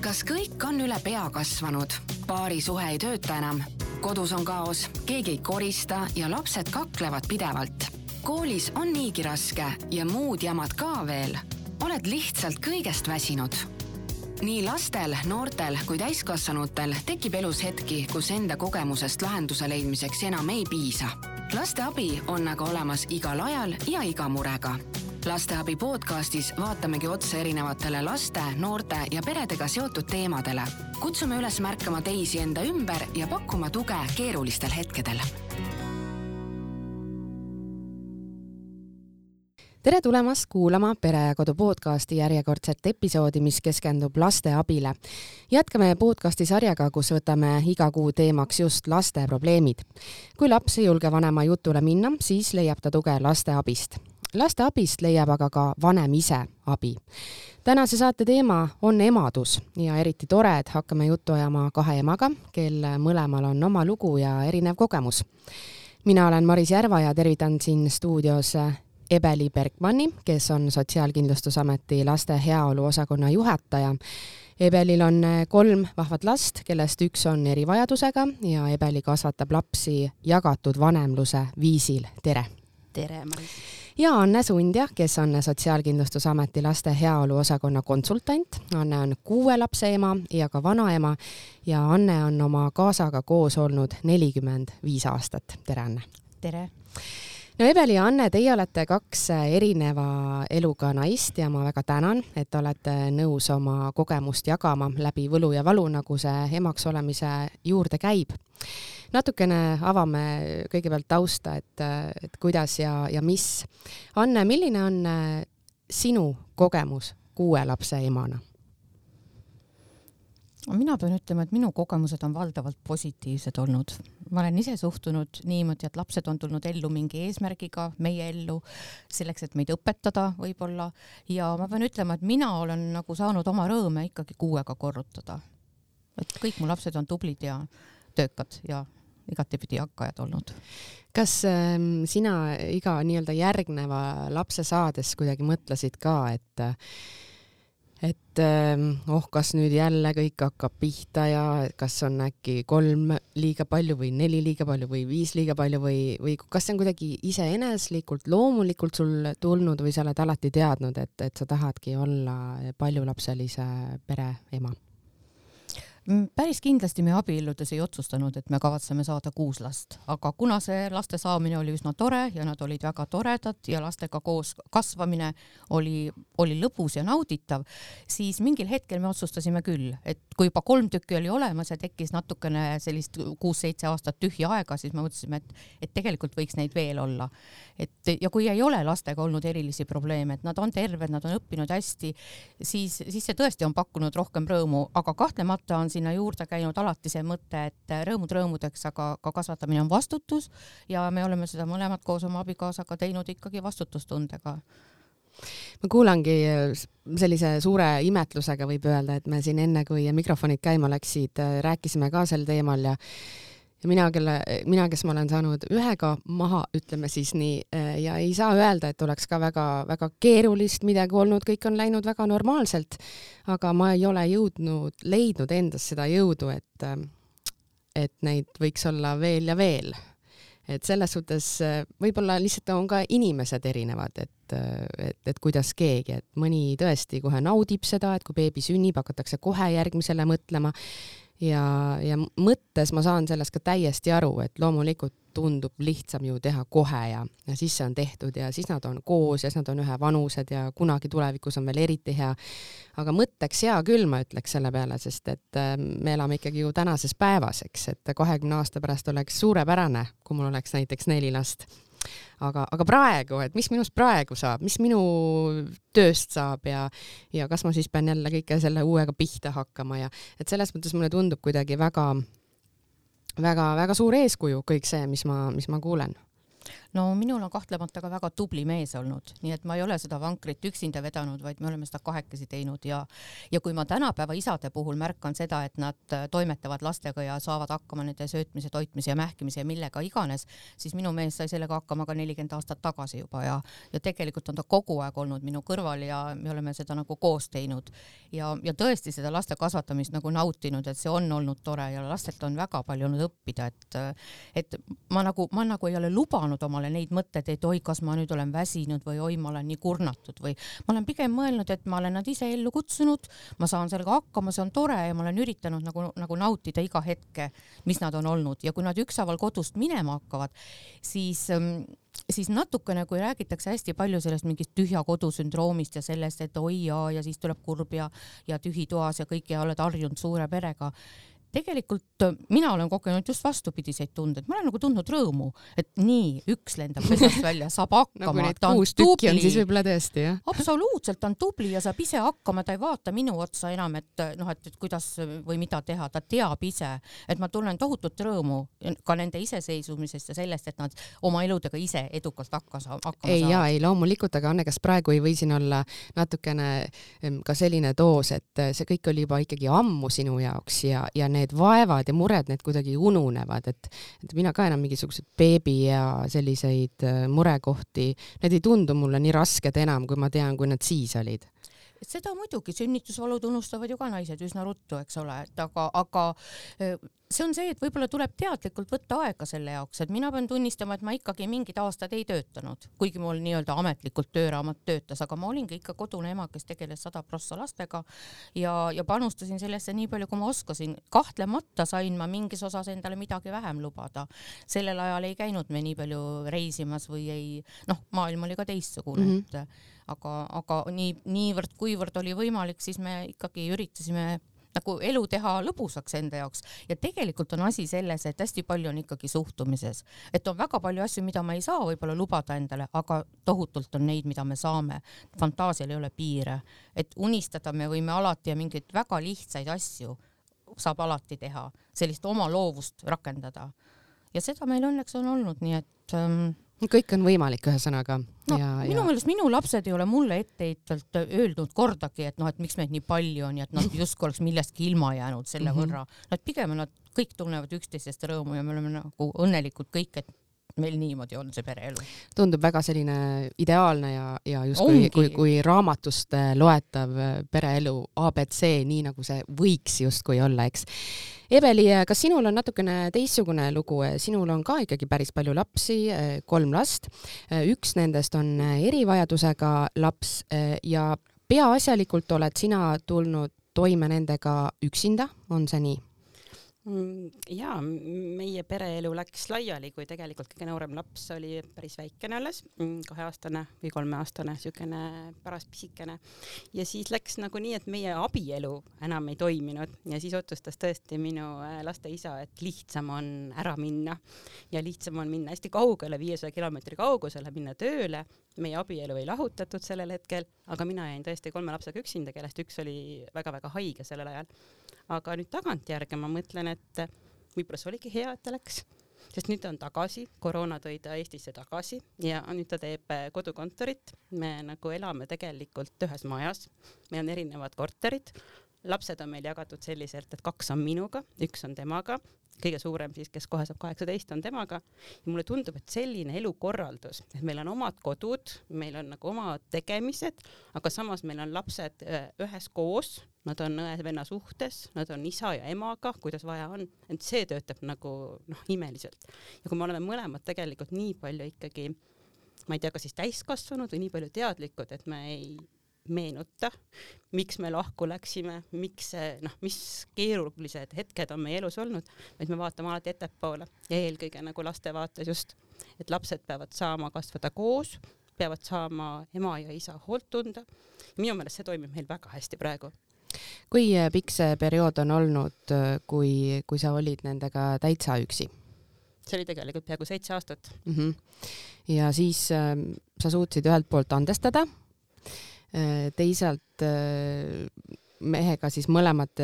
Kas kõik on üle pea kasvanud? Paari suhe ei tööta enam. Kodus on kaos, keegi ei korista ja lapsed kaklevad pidevalt. Koolis on niigi raske ja muud jamad ka veel. Oled lihtsalt kõigest väsinud. Nii lastel, noortel kui täiskasvanutel tekib elus hetki, kus enda kogemusest lahenduse leidmiseks enam ei piisa. Laste abi on aga olemas igal ajal ja iga murega. Lasteabi podcastis vaatamegi otsa erinevatele laste, noorte ja peredega seotud teemadele. Kutsume üles märkama teisi enda ümber ja pakkuma tuge keerulistel hetkedel. Tere tulemast kuulama Pere ja Kodu podcasti järjekordset episoodi, mis keskendub laste abile. Jätkame podcasti sarjaga, kus võtame iga kuu teemaks just laste probleemid. Kui laps ei julge vanema jutule minna, siis leiab ta tuge laste abist. Laste abist leiab aga ka vanem ise abi. Tänase saate teema on emadus ja eriti tore, et hakkame juttu ajama kahe emaga, kel mõlemal on oma lugu ja erinev kogemus. Mina olen Maris Järva ja tervitan siin stuudios Ebeli Bergmanni, kes on Sotsiaalkindlustusameti laste heaolu osakonna juhataja. Ebelil on 3 vahvat last, kellest üks on erivajadusega ja Ebeli kasvatab lapsi jagatud vanemluse viisil. Tere! Tere, Maris! Ja Anne Sundja, kes on Sotsiaalkindlustusameti laste heaolu osakonna konsultant. Anne on 6 lapse ema ja ka vanaema ja Anne on oma kaasaga koos olnud 45 aastat. Tere, Anne! Tere! No Ebeli ja Anne, teie olete 2 erineva eluga naist ja ma väga tänan, et olete nõus oma kogemust jagama läbi võlu ja valu, nagu see emaks olemise juurde käib. Natukene avame kõigepealt tausta, et kuidas ja mis. Anne, milline on sinu kogemus 6 lapse emana? Mina pean ütlema, et minu kogemused on valdavalt positiivsed olnud. Ma olen ise suhtunud niimoodi, et lapsed on tulnud ellu mingi eesmärgiga, meie ellu, selleks, et meid õpetada võib-olla. Ja ma pean ütlema, et mina olen nagu saanud oma rõõme ikkagi 6-ga korrutada. Et kõik mu lapsed on tublid ja töökad ja igatepidi hakkajad olnud. Kas sina iga nii-öelda järgneva lapse saades kuidagi mõtlesid ka, et kas nüüd jälle kõik hakkab pihta ja kas on äkki 3 liiga palju või 4 liiga palju või 5 liiga palju või kas see on kuidagi iseeneslikult, loomulikult sul tulnud või sa oled alati teadnud, et sa tahadki olla paljulapselise pere ema? Päris kindlasti me abielludes ei otsustanud, et me kavatseme saada 6 last, aga kuna see laste saamine oli üsna tore ja nad olid väga toredad ja lastega koos kasvamine oli lõbus ja nauditav, siis mingil hetkel me otsustasime küll, et kui juba 3 tükki oli olemas ja tekkis natukene sellist 6-7 aastat tühja aega, siis me mõtlesime, et tegelikult võiks neid veel olla. Ja kui ei ole lastega olnud erilisi probleeme, et nad on terved, nad on õppinud hästi, siis see tõesti on pakkunud rohkem rõõmu, aga kahtlemata on sinna juurde käinud alati see mõte, et rõõmud rõõmudeks, aga ka kasvatamine on vastutus ja me oleme seda mõlemad koos oma abikaasaga teinud ikkagi vastutustundega. Ma kuulangi sellise suure imetlusega, võib öelda, et me siin enne, kui mikrofonid käima läksid, rääkisime ka sel teemal ja mina, kes ma olen saanud 1-ga maha, ütleme siis nii, ja ei saa öelda, et oleks ka väga, väga keerulist midagi olnud, kõik on läinud väga normaalselt, aga ma ei ole leidnud endas seda jõudu, et neid võiks olla veel ja veel. Et selles suhtes võib-olla lihtsalt on ka inimesed erinevad, et kuidas keegi, et mõni tõesti kohe naudib seda, et kui beebi sünnib, hakatakse kohe järgmisele mõtlema ja mõttes ma saan sellest ka täiesti aru, et loomulikult tundub lihtsam ju teha kohe ja siis see on tehtud ja siis nad on koos ja siis nad on ühevanused ja kunagi tulevikus on veel eriti hea. Aga mõtteks hea küll, ma ütleks selle peale, sest et me elame ikkagi ju tänases päevas, eks, et 20 aasta pärast oleks suurepärane, kui mul oleks näiteks 4 last. Aga praegu, et mis minust praegu saab, mis minu tööst saab ja kas ma siis pean jälle kõike selle uuega pihta hakkama ja et selles mõttes mulle tundub kuidagi väga, väga, väga suur eeskuju kõik see, mis ma kuulen. no minul on kahtlemata ka väga tubli mees olnud, nii et ma ei ole seda vankrit üksinda vedanud, vaid me oleme seda kahekesi teinud ja kui ma tänapäeva isade puhul märkan seda, et nad toimetavad lastega ja saavad hakkama nende söötmise, toitmise ja mähkimise ja millega iganes, siis minu mees sai sellega hakkama ka 40 aastat tagasi juba ja tegelikult on ta kogu aeg olnud minu kõrval ja me oleme seda nagu koos teinud ja tõesti seda laste kasvatamist nagu nautinud, et see on olnud tore ja lastelt on väga palju olnud õppida, et ma nagu ei ole lubanud omale neid mõtteid, et oi, kas ma nüüd olen väsinud või oi, ma olen nii kurnatud või ma olen pigem mõelnud, et ma olen nad ise ellu kutsunud, ma saan sellega hakkama, see on tore ja ma olen üritanud nagu nautida iga hetke, mis nad on olnud ja kui nad ükshaaval kodust minema hakkavad, siis natukene, kui räägitakse hästi palju sellest mingist tühja kodusündroomist ja sellest, et oi ja siis tuleb kurb ja tühi toas ja kõik ja oled harjunud suure perega. Tegelikult mina olen kogenud just vastupidiseid tundeid. Ma olen nagu tundnud rõõmu, et nii, üks lendab pesast välja, saab hakkama. Nagu neid 6 tükki on siis võib-olla tõesti, jah? Absoluutselt, ta on tubli ja saab ise hakkama, ta ei vaata minu otsa enam, et kuidas või mida teha, ta teab ise, et ma tunnen tohutut rõõmu ka nende iseseisvumisest ja sellest, et nad oma eludega ise edukalt hakkama saavad. Ei, loomulikult, aga Anne, kas praegu ei või siin olla natukene ka selline doos, et see kõik oli juba ikkagi ammu sinu jaoks ja need vaevad ja mured, need kuidagi ununevad, et mina ka enam mingisugused beebi ja selliseid murekohti, need ei tundu mulle nii rasked enam, kui ma tean, kui nad siis olid. Seda muidugi, sünnitusvalud unustavad ju ka naised üsna ruttu, eks ole, et aga see on see, et võib-olla tuleb teadlikult võtta aega selle jaoks, et mina pean tunnistama, et ma ikkagi mingid aastad ei töötanud, kuigi mul nii-öelda ametlikult tööraamat töötas, aga ma olingi ikka kodune ema, kes tegeles 100% lastega ja panustasin sellesse nii palju, kui ma oskasin. Kahtlemata sain ma mingis osas endale midagi vähem lubada. Sellel ajal ei käinud me nii palju reisimas või ei, maailm oli ka teistsugune, aga niivõrd kuivõrd oli võimalik, siis me ikkagi üritasime nagu elu teha lõbusaks enda jaoks ja tegelikult on asi selles, et hästi palju on ikkagi suhtumises, et on väga palju asju, mida ma ei saa võib-olla lubada endale, aga tohutult on neid, mida me saame. Fantaasial ei ole piire, et unistada me võime alati ja mingeid väga lihtsaid asju saab alati teha, sellist oma loovust rakendada ja seda meil õnneks on olnud, nii et kõik on võimalik ühesõnaga. Minu meelest minu lapsed ei ole mulle etteheitvalt öeldud kordagi, et et miks meid nii palju on ja et nad justkui oleks millestki ilma jäänud selle võrra. Nad pigem nad kõik tunnevad üksteisest rõõmu ja me oleme nagu õnnelikud kõik, et meil niimoodi on see pereelu. Tundub väga selline ideaalne ja just kui raamatust loetav pereelu ABC, nii nagu see võiks justkui olla, eks. Eveli, kas sinul on natukene teistsugune lugu? Sinul on ka ikkagi päris palju lapsi, 3 last. Üks nendest on erivajadusega laps ja peaasjalikult oled sina tulnud toime nendega üksinda, on see nii? Jaa, meie pereelu läks laiali, kui tegelikult kõige noorem laps oli päris väikene alles, 2-aastane või 3-aastane, niisugune paras pisikene. Ja siis läks nagu nii, et meie abielu enam ei toiminud ja siis otsustas tõesti minu laste isa, et lihtsam on ära minna ja lihtsam on minna hästi kaugele, 500 kilomeetri kaugusele, minna tööle. Meie abielu ei lahutatud sellel hetkel, aga mina jäin tõesti 3 lapsega üksinda, kellest üks oli väga-väga haige sellel ajal. Aga nüüd tagantjärge ma mõtlen, et võib-olla see oligi hea, et ta läks, sest nüüd ta on tagasi, koroona tõi ta Eestisse tagasi ja nüüd ta teeb kodukontorit. Me nagu elame tegelikult ühes majas, meil on erinevad korterid, lapsed on meil jagatud selliselt, et 2 on minuga, 1 on temaga, kõige suurem siis, kes kohe saab 18, on temaga ja mulle tundub, et selline elukorraldus, et meil on omad kodud, meil on nagu omad tegemised, aga samas meil on lapsed ühes koos, nad on õe-venna suhtes, nad on isa ja emaga, kuidas vaja on, et see töötab nagu imeliselt. Ja kui me oleme mõlemad tegelikult nii palju ikkagi, ma ei tea, kas siis täiskasvanud või nii palju teadlikud, et me ei meenuta, miks me lahku läksime, mis keerulised hetked on meie elus olnud, vaid me vaatame alati ettepoole ja eelkõige nagu laste vaates just, et lapsed peavad saama kasvada koos, peavad saama ema ja isa hoolt tunda. Minu meelest see toimib meil väga hästi praegu. Kui pikk see periood on olnud, kui sa olid nendega täitsa üksi? See oli tegelikult peaaegu 7 aastat. Ja siis sa suutsid ühelt poolt andestada, teisalt mehega siis mõlemad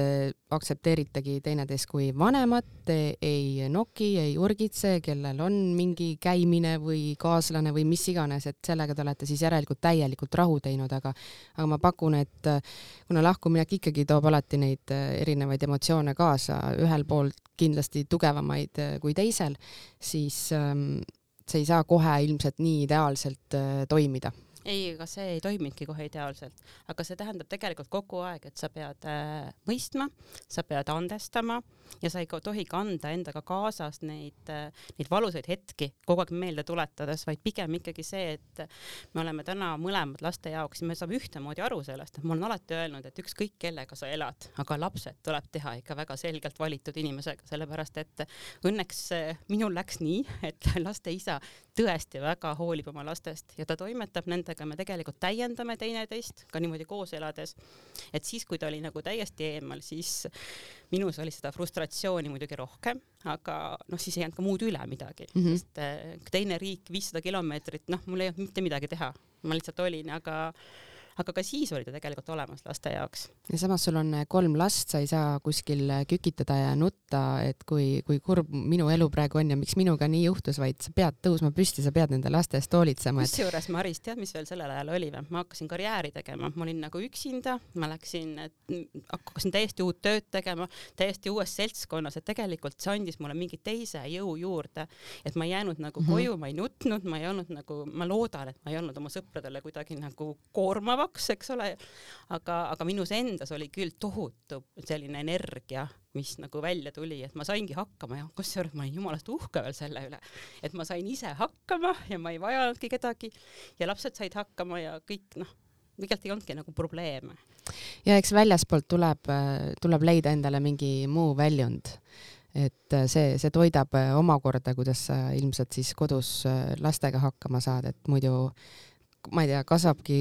aktsepteeritegi teineteist kui vanemad, ei noki, ei urgitse, kellel on mingi käimine või kaaslane või mis iganes, et sellega te olete siis järelikult täielikult rahu teinud, aga ma pakun, et kuna lahkuminek ikkagi toob alati neid erinevaid emotsioone kaasa, ühel pool kindlasti tugevamaid kui teisel, siis see ei saa kohe ilmselt nii ideaalselt toimida. Ei, aga see ei toiminudki kohe ideaalselt, aga see tähendab tegelikult kogu aeg, et sa pead mõistma, sa pead andestama ja sa ei tohi kanda endaga kaasas neid valusaid hetki kogu aeg meelde tuletades, vaid pigem ikkagi see, et me oleme täna mõlemad laste jaoks ja me saame ühtemoodi aru sellest, et ma olen alati öelnud, et ükskõik kellega sa elad, aga lapsed tuleb teha ikka väga selgelt valitud inimesega, sellepärast et õnneks minul läks nii, et laste isa tõesti väga hoolib oma lastest ja ta toimetab nendega, me tegelikult täiendame teineteist ka niimoodi koos elades, et siis, kui ta oli nagu täiesti eemal, siis minus oli seda frustratsiooni muidugi rohkem, aga siis ei jäänud ka muud üle midagi, sest teine riik 500 kilomeetrit, mul ei olnud mitte midagi teha, ma lihtsalt olin, aga ka siis oli ta tegelikult olemas laste jaoks. Ja samas sul on 3 last, sa ei saa kuskil kükitada ja nutta, et kui kurb minu elu praegu on ja miks minuga nii juhtus, vaid sa pead tõusma püsti, sa pead nende laste eest hoolitsema. Kusjuures, Maris, tead, mis veel sellel ajal oli? Ma hakkasin karjääri tegema, ma olin nagu üksinda, ma hakkasin täiesti uut tööd tegema, täiesti uues seltskonnas, et tegelikult see andis mulle mingi teise jõu juurde, et ma ei jäänud nagu koju, ma ei nutnud, ma ei olnud nagu, ma loodan, et ma ei olnud oma sõpradele kuidagi nagu koormava, eks ole, aga minus endas oli küll tohutu selline energia, mis nagu välja tuli, et ma saingi hakkama ja kusjuures ma olin jumalast uhke veel selle üle, et ma sain ise hakkama ja ma ei vajanudki kedagi ja lapsed said hakkama ja kõik, tegelikult ei olnudki nagu probleeme. Ja eks väljaspoolt tuleb leida endale mingi muu väljund, et see toidab omakorda, kuidas sa ilmselt siis kodus lastega hakkama saad, et muidu ma ei tea, kasvabki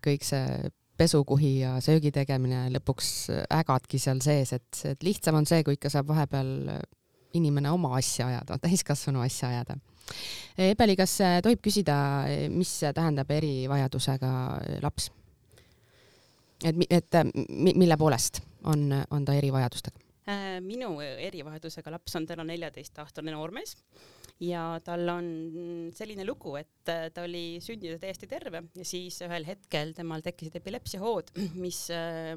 kõik see pesukuhi ja söögi tegemine, lõpuks ägadki seal sees, et lihtsam on see, kui ikka saab vahepeal inimene oma asja ajada, täiskasvanu asja ajada. Ebeli, kas tohib küsida, mis tähendab erivajadusega laps? Et mille poolest on ta erivajadustega? Minu erivajadusega laps on täna 14-aastane noormees ja tal on selline lugu, et ta oli sündinud täiesti terve ja siis ühel hetkel temal tekkisid epilepsiahood, mis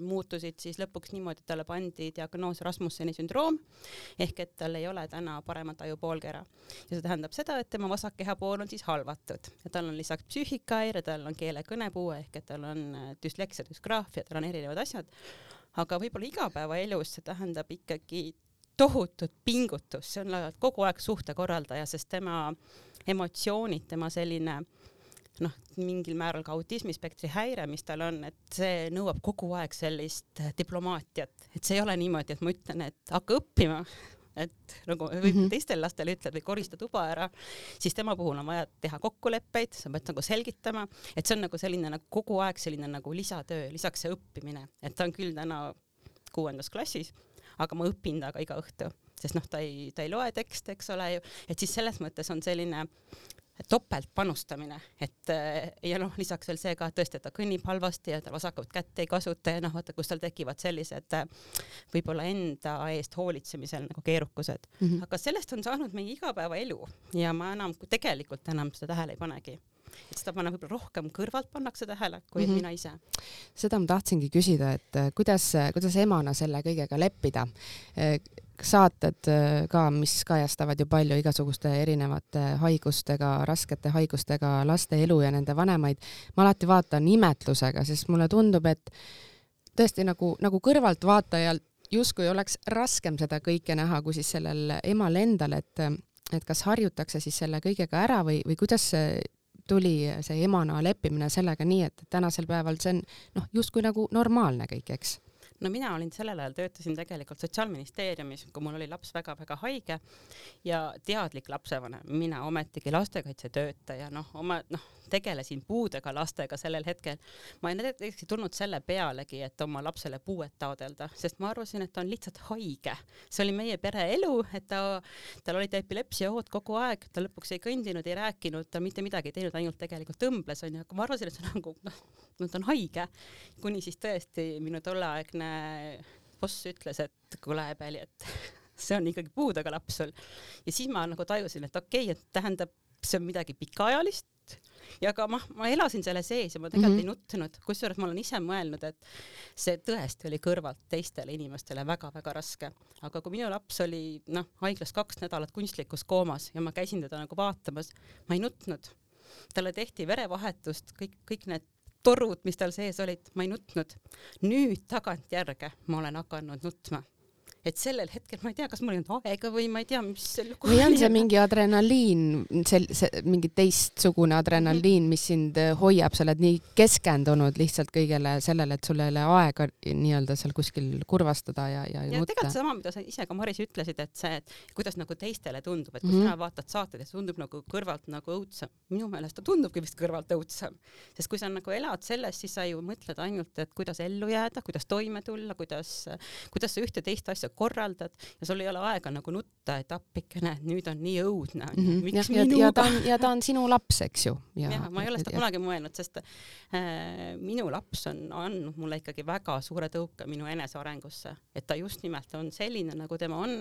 muutusid siis lõpuks niimoodi, et talle pandi diagnoos Rasmusseni sündroom ehk et tal ei ole täna paremat ajupoolkera. Ja see tähendab seda, et tema vasak kehapool on siis halvatud ja tal on lisaks psüühikahäire, tal on keele-kõnepuue ehk et tal on düsleksia, düsgraafia, tal on erinevad asjad. Aga võib-olla igapäevaelus see tähendab ikkagi tohutut pingutus, see on kogu aeg suhtekorraldaja, sest tema emotsioonid, tema selline mingil määral ka autismispektri häire, mis tal on, et see nõuab kogu aeg sellist diplomaatiat, et see ei ole niimoodi, et ma ütlen, et hakka õppima, et nagu võib teistel lastel ütled või korista tuba ära, siis tema puhul on vaja teha kokkuleppeid, sa pead nagu selgitama, et see on nagu selline nagu kogu aeg selline nagu lisatöö, lisaks see õppimine, et ta on küll täna 6. klassis, aga ma õpin taga iga õhtu, sest ta ei loe tekste, eks ole ju, et siis selles mõttes on selline topelt panustamine, et ja lisaks veel see ka tõesti, et ta kõnnib halvasti ja ta vasakut kätt ei kasuta ja vaata, kus tal tekivad sellised võib-olla enda eest hoolitsemisel nagu keerukused. Aga sellest on saanud meie igapäevaelu ja ma tegelikult enam seda tähele ei panegi. Et seda võib-olla rohkem kõrvalt pannakse tähele, kui mina ise. Seda ma tahtsingi küsida, et kuidas emana selle kõigega leppida? Saated ka, mis kajastavad ju palju igasuguste erinevate haigustega, raskete haigustega laste elu ja nende vanemaid. Ma alati vaatan imetlusega, sest mulle tundub, et tõesti nagu kõrvalt vaatajal justkui oleks raskem seda kõike näha, kui siis sellel emal endal, et kas harjutakse siis selle kõigega ära või kuidas tuli see emana leppimine sellega nii, et tänasel päeval see on justkui nagu normaalne kõik, eks? Mina olin sellel ajal, töötasin tegelikult Sotsiaalministeeriumis, kui mul oli laps väga-väga haige ja teadlik lapsevanem, mina ometigi lastekaitsetöötaja, tegelesin puudega lastega sellel hetkel, ma ei tulnud selle pealegi, et oma lapsele puuet taodelda, sest ma arvasin, et ta on lihtsalt haige. See oli meie pere elu, et tal oli epilepsiahood kogu aeg, ta lõpuks ei kõndinud, ei rääkinud, ta mitte midagi ei teinud, ainult tegelikult tõmbles, on ju, aga ma arvasin, et see on nagu, ta on haige, kuni siis tõesti minu tolleaegne boss ütles, et kuule, Ebeli, et see on ikkagi puudega laps sul. Ja siis ma nagu tajusin, et okei, et tähendab, see on midagi pikaajalist ja ka ma elasin selle sees ja ma tegelikult ei nuttunud, kusjuures ma olen ise mõelnud, et see tõesti oli kõrvalt teistele inimestele väga-väga raske. Aga kui minu laps oli haiglas 2 nädalat kunstlikus koomas ja ma käisin teda nagu vaatamas, ma ei nutnud. Talle tehti verevahetust, kõik need torud, mis tal sees olid, ma ei nutnud. Nüüd tagantjärge ma olen hakanud nutma. Et sellel hetkel ma ei tea, kas mul ei olnud aega või ma ei tea, mis või on see mingi adrenaliin, mingi teistsugune adrenaliin, mis sind hoiab, sa oled nii keskendunud lihtsalt kõigele sellele, et sul ei ole aega nii-öelda seal kuskil kurvastada ja nutta. Tegelikult sama, mida sa ise ka Maris ütlesid, et see, et kuidas nagu teistele tundub, et kui sina vaatad saated ja see tundub nagu kõrvalt nagu õudsam. Minu meelest ta tundubki vist kõrvalt õudsam. Sest kui sa nagu elad sellest, siis sa ju mõtled ainult, et kuidas ellu jääda, kuidas toime tulla, kuidas sa ühte teist asja korraldad ja sul ei ole aega nagu nutta, et appikene, nüüd on nii õudne. Miks minuga? Ja ta on sinu laps, eks ju. Ja, ma ei ole seda kunagi mõelnud, sest minu laps on andnud mulle ikkagi väga suure tõuke minu enesearengusse, et ta just nimelt on selline, nagu tema on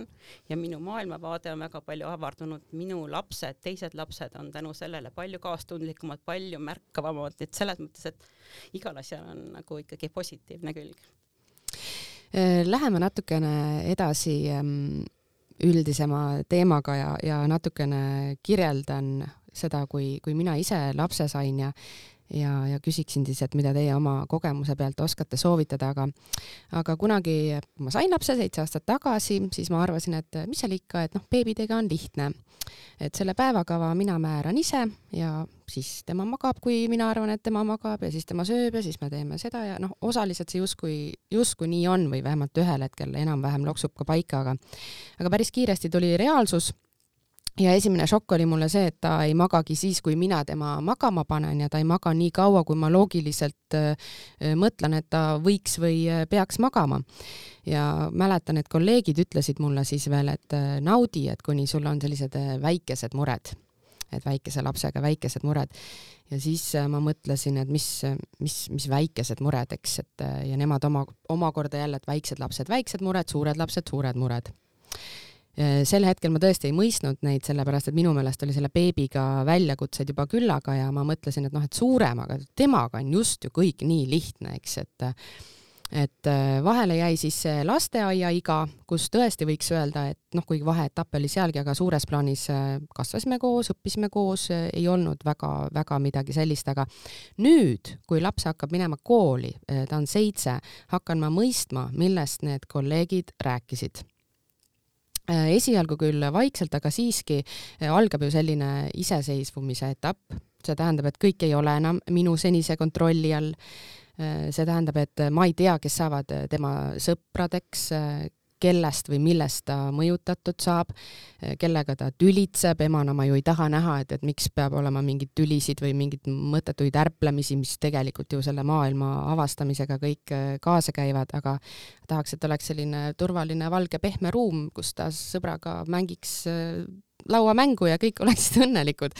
ja minu maailmavaade on väga palju avardunud. Minu lapsed, teised lapsed on tänu sellele palju kaastundlikumad, palju märkavamad, et selles mõttes, et igal asjal on nagu ikkagi positiivne külg. Läheme natukene edasi üldisema teemaga ja natukene kirjeldan seda, kui mina ise lapse sain ja küsiksin siis, et mida teie oma kogemuse pealt oskate soovitada, aga kunagi ma sain lapse 7 aastat tagasi, siis ma arvasin, et mis seal ikka, et beebidega on lihtne, et selle päevakava mina määran ise ja siis tema magab, kui mina arvan, et tema magab ja siis tema sööb ja siis me teeme seda ja osaliselt see justkui nii on või vähemalt ühel hetkel enam-vähem loksub ka paika, aga päris kiiresti tuli reaalsus. Ja esimene šokk oli mulle see, et ta ei magagi siis, kui mina tema magama panen ja ta ei maga nii kaua, kui ma loogiliselt mõtlen, et ta võiks või peaks magama. Ja mäletan, et kolleegid ütlesid mulle siis veel, et naudi, et kuni sul on sellised väikesed mured, et väikese lapsega väikesed mured. Ja siis ma mõtlesin, et mis väikesed mured, eks, et ja nemad omakorda jälle, et väiksed lapsed, väiksed mured, suured lapsed, suured mured. Sel hetkel ma tõesti ei mõistnud neid, sellepärast, et minu meelest oli selle beebiga väljakutsed juba küllaga ja ma mõtlesin, et suuremaga, temaga on just ju kõik nii lihtne, eks, et vahele jäi siis lasteaia iga, kus tõesti võiks öelda, et kuigi vaheetapp oli sealgi, aga suures plaanis kasvasime koos, õppisime koos, ei olnud väga midagi sellist, aga nüüd, kui laps hakkab minema kooli, ta on 7, hakkan ma mõistma, millest need kolleegid rääkisid. Esialgu küll vaikselt, aga siiski algab ju selline iseseisvumise etapp. See tähendab, et kõik ei ole enam minu senise kontrolli all. See tähendab, et ma ei tea, kes saavad tema sõpradeks, kellest või millest ta mõjutatud saab, kellega ta tülitseb. Emana ma ju ei taha näha, et miks peab olema mingid tülisid või mingid mõttetuid ärplemisi, mis tegelikult ju selle maailma avastamisega kõik kaasa käivad, aga tahaks, et oleks selline turvaline, valge, pehme ruum, kus ta sõbraga mängiks lauamängu ja kõik oleksid õnnelikud.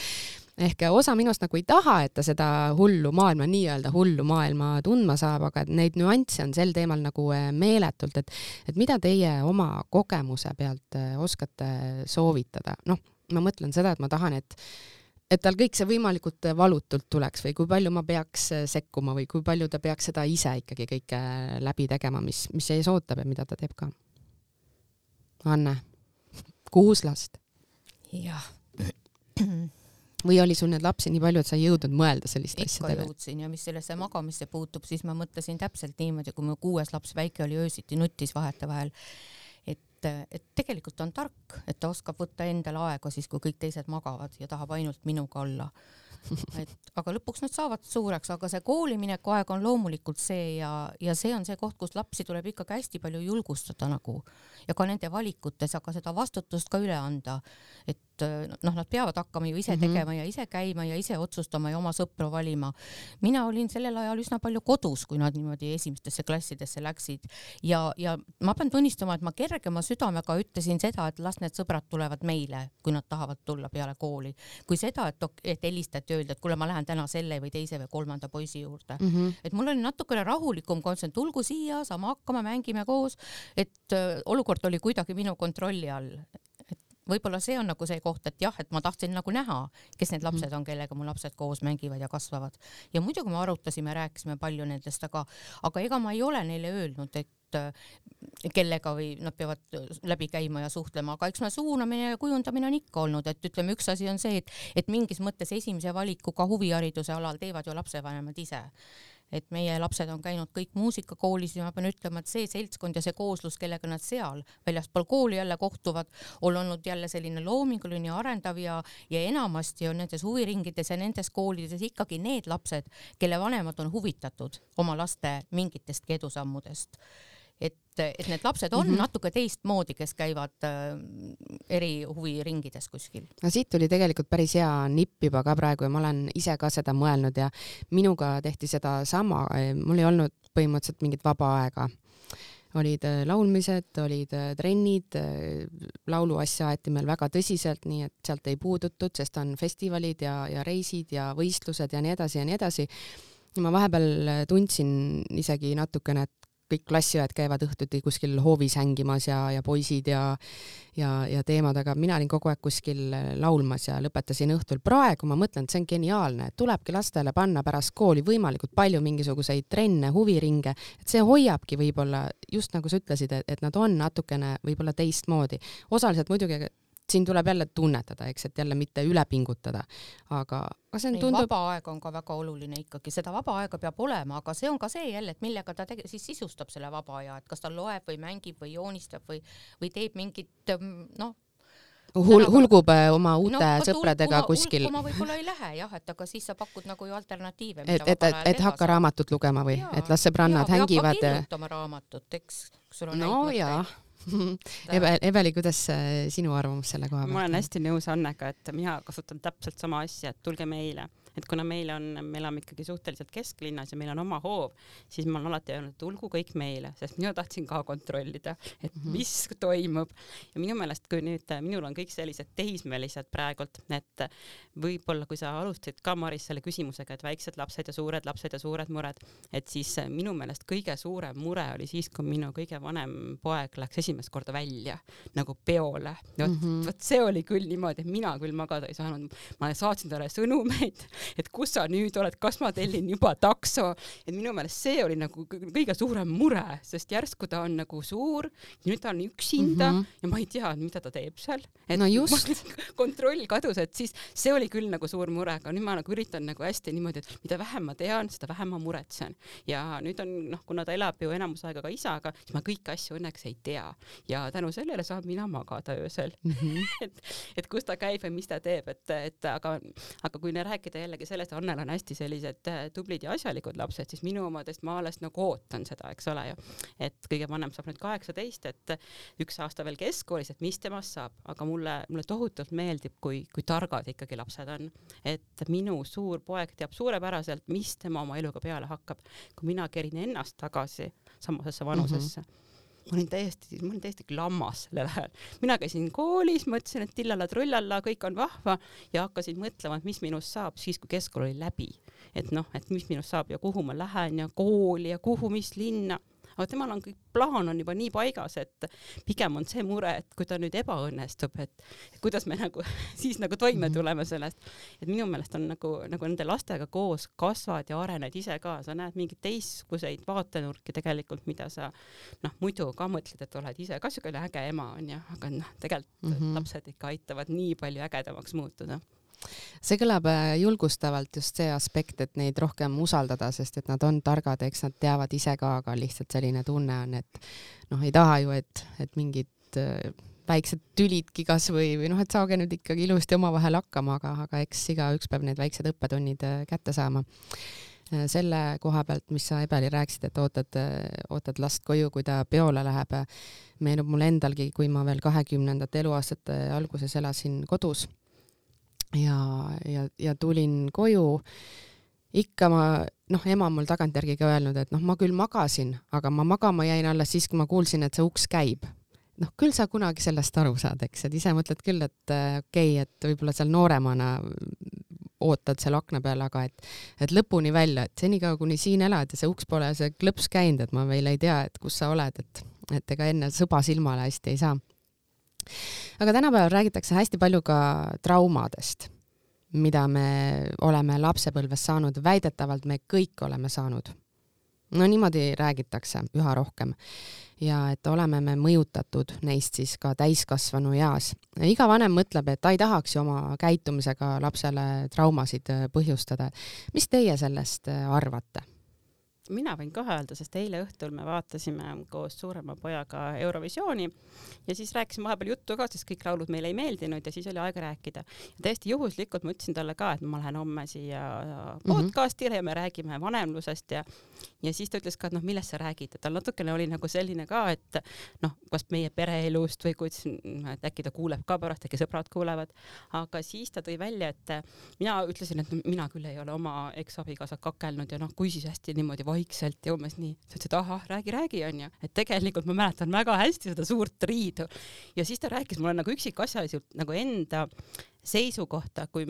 Ehk osa minust nagu ei taha, et ta seda nii-öelda hullu maailma tundma saab, aga neid nüansse on sel teemal nagu meeletult, et mida teie oma kogemuse pealt oskate soovitada. Ma mõtlen seda, et ma tahan, et tal kõik see võimalikult valutult tuleks või kui palju ma peaks sekkuma või kui palju ta peaks seda ise ikkagi kõike läbi tegema, mis ees ootab ja mida ta teeb ka. Anne, 6 last. Jah. Või oli sul need lapsi nii palju, et sa ei jõudnud mõelda sellist asjadele? Ikka jõudsin ja mis sellesse magamisse puutub, siis ma mõtlesin täpselt niimoodi, kui mu 6 laps väike oli öösiti nutis vahetevahel, et tegelikult on tark, et ta oskab võtta endale aega siis, kui kõik teised magavad ja tahab ainult minuga olla. Aga lõpuks nad saavad suureks, aga see koolimineku aeg on loomulikult see ja see on see koht, kus lapsi tuleb ikkagi hästi palju julgustada nagu ja ka nende valikutes, aga seda vastutust ka üle anda, et nad peavad hakkama ju ise tegema ja ise käima ja ise otsustama ja oma sõpru valima. Mina olin sellel ajal üsna palju kodus, kui nad niimoodi esimestesse klassidesse läksid ja ma pean tunnistama, et ma kergema südamega ütlesin seda, et las need sõbrad tulevad meile, kui nad tahavad tulla peale kooli, kui seda, et helistati öelda, et kuule, ma lähen täna selle või teise või kolmanda poisi juurde. Et mul oli natukene rahulikum kontsent, tulgu siia, saame hakkama, mängime koos, et olukord oli kuidagi minu kontrolli all. Et võib-olla see on nagu see koht, et jah, et ma tahtsin nagu näha, kes need lapsed on, kellega mu lapsed koos mängivad ja kasvavad. Ja muidugi me arutasime, rääkisime palju nendest, aga ega ma ei ole neile öelnud, et kellega või nad peavad läbi käima ja suhtlema, aga eks me suunamine ja kujundamine on ikka olnud, et ütleme, üks asi on see, et mingis mõttes esimese valikuga huvihariduse alal teevad ju lapsevanemad ise. Et meie lapsed on käinud kõik muusikakoolis ja ma pean ütlema, et see seltskond ja see kooslus, kellega nad seal väljaspool kooli jälle kohtuvad, on olnud jälle selline loominguline ja arendav ja enamasti on nendes huviringides ja nendes koolides ikkagi need lapsed, kelle vanemad on huvitatud oma laste mingitest edusammudest. Et need lapsed on natuke teistmoodi, kes käivad eri huviringides kuskil. No siit tuli tegelikult päris hea nipp juba ka praegu ja ma olen ise ka seda mõelnud ja minuga tehti seda sama. Mul ei olnud põhimõtteliselt mingit vaba aega. Olid laulmised, olid trennid, lauluasja aeti meil väga tõsiselt, nii et sealt ei puudutud, sest on festivalid ja reisid ja võistlused ja nii edasi ja nii edasi. Ma vahepeal tundsin isegi natukene, et kõik klassiõed käivad õhtuti kuskil hoovis hängimas ja poisid ja teemad, aga mina olin kogu aeg kuskil laulmas ja lõpetasin õhtul. Praegu ma mõtlen, et see on geniaalne, et tulebki lastele panna pärast kooli võimalikult palju mingisuguseid trenne, huviringe, et see hoiabki võib-olla, just nagu sa ütlesid, et nad on natukene võib-olla teistmoodi. Osaliselt muidugi siin tuleb jälle tunnetada, eks, et jälle mitte üle pingutada, aga see on tundub... Vaba aeg on ka väga oluline ikkagi, seda vaba aega peab olema, aga see on ka see jälle, et millega ta siis sisustab selle vaba aja, et kas ta loeb või mängib või joonistab või teeb mingit, hulgub oma uute sõpradega kuskil. Hulguma võib-olla ei lähe, jah, et aga siis sa pakud nagu ju alternatiive. Et hakka raamatut lugema või, et las sõbrannad hängivad. Ja kirjutama raamatut, eks sul on näitmõtteid. Eveli, kuidas sinu arvamus selle koha pealt? Ma olen hästi nõus Annega, et mina kasutan täpselt sama asja, et tulge meile. Et kuna me elame ikkagi suhteliselt kesklinnas ja meil on oma hoov, siis ma olen alati öelnud, et tulgu kõik meile, sest mina tahtsin ka kontrollida, et mis toimub. Ja minu meelest, kui nüüd minul on kõik sellised tehismelised praegult, et võib-olla kui sa alustasid ka Maris selle küsimusega, et väiksed lapsed ja suured mured, et siis minu meelest kõige suurem mure oli siis, kui minu kõige vanem poeg läks esimest korda välja nagu peole. Vot see oli küll niimoodi, et mina küll magada ei saanud. Ma saatsin talle sõnumeid, et kus sa nüüd oled, kas ma tellin juba takso, et minu meelest see oli nagu kõige suurem mure, sest järsku ta on nagu suur, nüüd ta on üksinda ja ma ei tea, mida ta teeb seal. Et no just. Kontroll kadus, et siis see oli küll nagu suur mure, aga nüüd ma nagu üritan nagu hästi niimoodi, et mida vähem ma tean, seda vähem ma muretsen. Ja nüüd on, kuna ta elab ju enamus aega ka isaga, siis ma kõiki asju õnneks ei tea. Ja tänu sellele saab mina magada öösel. et kus ta käib ja mis ta teeb, aga kui ne rääkida jällegi sellest, Annel on hästi sellised tublid ja asjalikud lapsed, siis minu omadest ma alles nagu ootan seda, eks ole ju. Et kõige vanem saab nüüd 18, et 1 aasta veel keskkoolis, et mis temast saab, aga mulle tohutult meeldib, kui targad ikkagi lapsed on. Et minu suur poeg teab suurepäraselt, mis tema oma eluga peale hakkab. Kui mina kerin ennast tagasi samasesse vanusesse, ma olin täiesti klammas sellel ajal. Mina käisin koolis, mõtlesin, et tillala-trullala, kõik on vahva ja hakkasin mõtlema, et mis minust saab siis, kui keskkool oli läbi. Et mis minust saab ja kuhu ma lähen ja kooli ja kuhu, mis linna. Aga temal on kõik plaan on juba nii paigas, et pigem on see mure, et kui ta nüüd ebaõnnestub, et kuidas me nagu siis nagu toime tuleme sellest. Et minu meelest on nagu nende lastega koos kasvad ja arened ise ka. Sa näed mingid teistkuseid vaatenurki tegelikult, mida sa muidu ka mõtled, et oled ise ka sügele äge ema on ja, aga tegelikult lapsed ikka aitavad nii palju ägedamaks muutuda. See kõlab julgustavalt just see aspekt, et neid rohkem usaldada, sest et nad on targad, eks nad teavad ise ka, aga lihtsalt selline tunne on, et ei taha ju, et mingid väiksed tülidki kas või et saage nüüd ikkagi ilusti omavahel hakkama, aga eks igaüks peab need väiksed õppetunnid kätte saama. selle koha pealt, mis sa Ebeli rääkisid, et ootad last koju, kui ta peole läheb, meenub mulle endalgi, kui ma veel 20. eluaastate alguses elasin kodus ja tulin koju, ikka ema mul tagantjärgi ka öelnud, et ma küll magasin, aga ma magama jäin alles siis, kui ma kuulsin, et see uks käib. Küll sa kunagi sellest aru saad, eks, et ise mõtled küll, et okei, et võib-olla seal nooremana ootad seal akna peal, aga et lõpuni välja, et senikaua kuni siin elad ja see uks pole see klõps käinud, et ma veel ei tea, et kus sa oled, et ega enne sõba silmale hästi ei saa. Aga tänapäeval räägitakse hästi palju ka traumadest, mida me oleme lapsepõlves saanud, väidetavalt me kõik oleme saanud. Niimoodi räägitakse üha rohkem ja et oleme me mõjutatud neist siis ka täiskasvanu eas. Iga vanem mõtleb, et ta ei tahaks ju oma käitumisega lapsele traumasid põhjustada. Mis teie sellest arvate? Mina võin ka öelda, sest eile õhtul me vaatasime koos suurema pojaga Eurovisiooni ja siis rääkisime vahepeal juttu ka, sest kõik laulud meile ei meeldinud ja siis oli aega rääkida. Ja täiesti juhuslikult ma ütlesin talle ka, et ma lähen homme siia podcastile ja me räägime vanemlusest ja siis ta ütles ka, et millest sa räägid, et tal natukene oli nagu selline ka, et kas meie pereelust või kuidas, et äkki ta kuuleb ka pärast, äkki sõbrad kuulevad, aga siis ta tõi välja, et mina ütlesin, et mina küll ei ole oma eksabikaasa kakelnud ja kui siis hästi niimoodi vaikselt ja umbes nii. Ta ütles, et ahah, räägi on ju. Et tegelikult ma mäletan väga hästi seda suurt riidu. Ja siis ta rääkis mulle nagu üksikasjaliselt nagu enda seisukohta, kui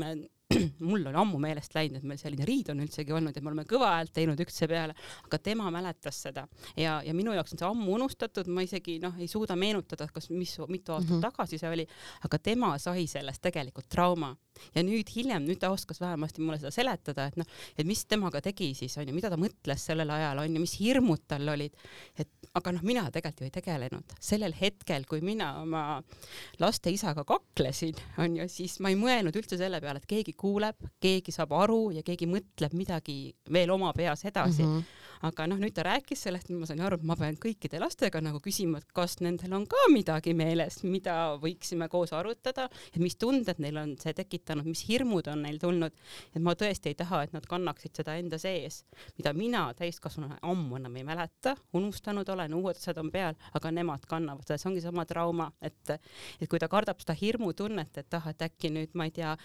mul on ammu meelest läinud, et meil selline riid on üldsegi olnud ja me oleme kõva häält teinud ükse peale, aga tema mäletas seda ja minu jaoks on see ammu unustatud, ma isegi ei suuda meenutada, kas mitu aastat tagasi see oli, aga tema sai sellest tegelikult trauma ja nüüd ta oskas vähemasti mulle seda seletada, et mis temaga tegi siis, on ju, mida ta mõtles sellel ajal, on ju, mis hirmud tal olid, aga mina tegelikult ju ei tegelenud. Sellel hetkel, kui mina oma laste isaga kaklesin, on ju, siis ma ei mõelnud üldse selle peale, et keegi kuuleb, keegi saab aru ja keegi mõtleb midagi veel oma peas edasi. Aga nüüd ta rääkis sellest, ma sain aru, et ma pean kõikide lastega nagu küsima, et kas nendel on ka midagi meeles, mida võiksime koos arutada, et mis tunded neil on see tekitanud, mis hirmud on neil tulnud, et ma tõesti ei taha, et nad kannaksid seda enda sees, mida mina täiskasvanuna ammu enam ei mäleta, unustanud olen, uued asjad on peal, aga nemad kannavad seda, see ongi sama trauma, et kui ta kardab seda hirmutunnet, et et äkki nüüd, ma ei tea,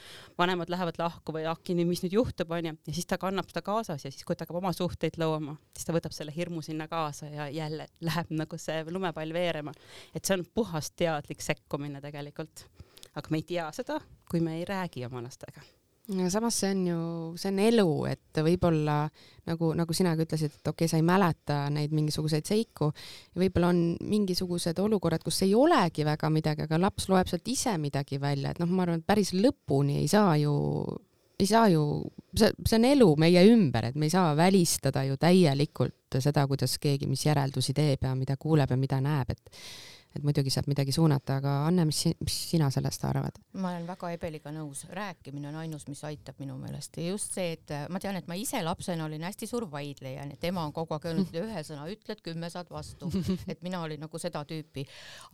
vanemad lähevad lahku või äkki nüüd, mis nüüd juhtub, on ju, ja siis ta kannab seda kaasas ja siis, kui ta hakkab oma suhteid lõoma, siis ta võtab selle hirmu sinna kaasa ja jälle läheb nagu see lumepall veerema. Et see on puhas teadlik sekkumine tegelikult. Aga me ei tea seda, kui me ei räägi oma lastega. Ja samas see on elu, et võib-olla nagu sinagi ütlesid, et okei, sa ei mäleta neid mingisuguseid seiku ja võib-olla on mingisugused olukorrad, kus ei olegi väga midagi, aga laps loeb sealt ise midagi välja, et ma arvan, et päris lõpuni ei saa ju, see on elu meie ümber, et me ei saa välistada ju täielikult seda, kuidas keegi, mis järeldusi teeb ja mida kuuleb ja mida näeb, et muidugi saab midagi suunata, aga Anne, mis sina sellest arvad? Ma olen väga Ebeliga nõus. Rääkimine on ainus, mis aitab minu meelest. Ja just see, et ma tean, et ma ise lapsena olin hästi suur vaidleja, et ema on kogu aeg öelnud, ühe sõna ütled, 10 saad vastu. Et mina olin nagu seda tüüpi.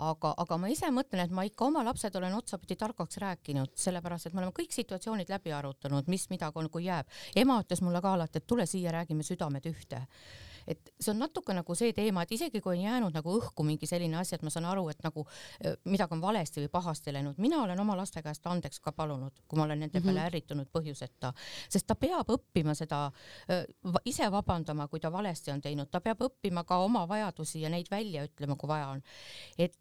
Aga ma ise mõtlen, et ma ikka oma lapsed olen otsapidi targaks rääkinud, sellepärast, et me oleme kõik situatsioonid läbi arutanud, mis midagi on, kui jääb. Ema ütles mulle ka alati, et tule siia, räägime südamed ühte. Et see on natuke nagu see teema, et isegi kui on jäänud nagu õhku mingi selline asi, et ma saan aru, et nagu midagi on valesti või pahasti läinud. Mina olen oma laste käest andeks ka palunud, kui ma olen nende peale ärritunud põhjuseta, sest ta peab õppima seda, ise vabandama, kui ta valesti on teinud, ta peab õppima ka oma vajadusi ja neid välja ütlema, kui vaja on. Et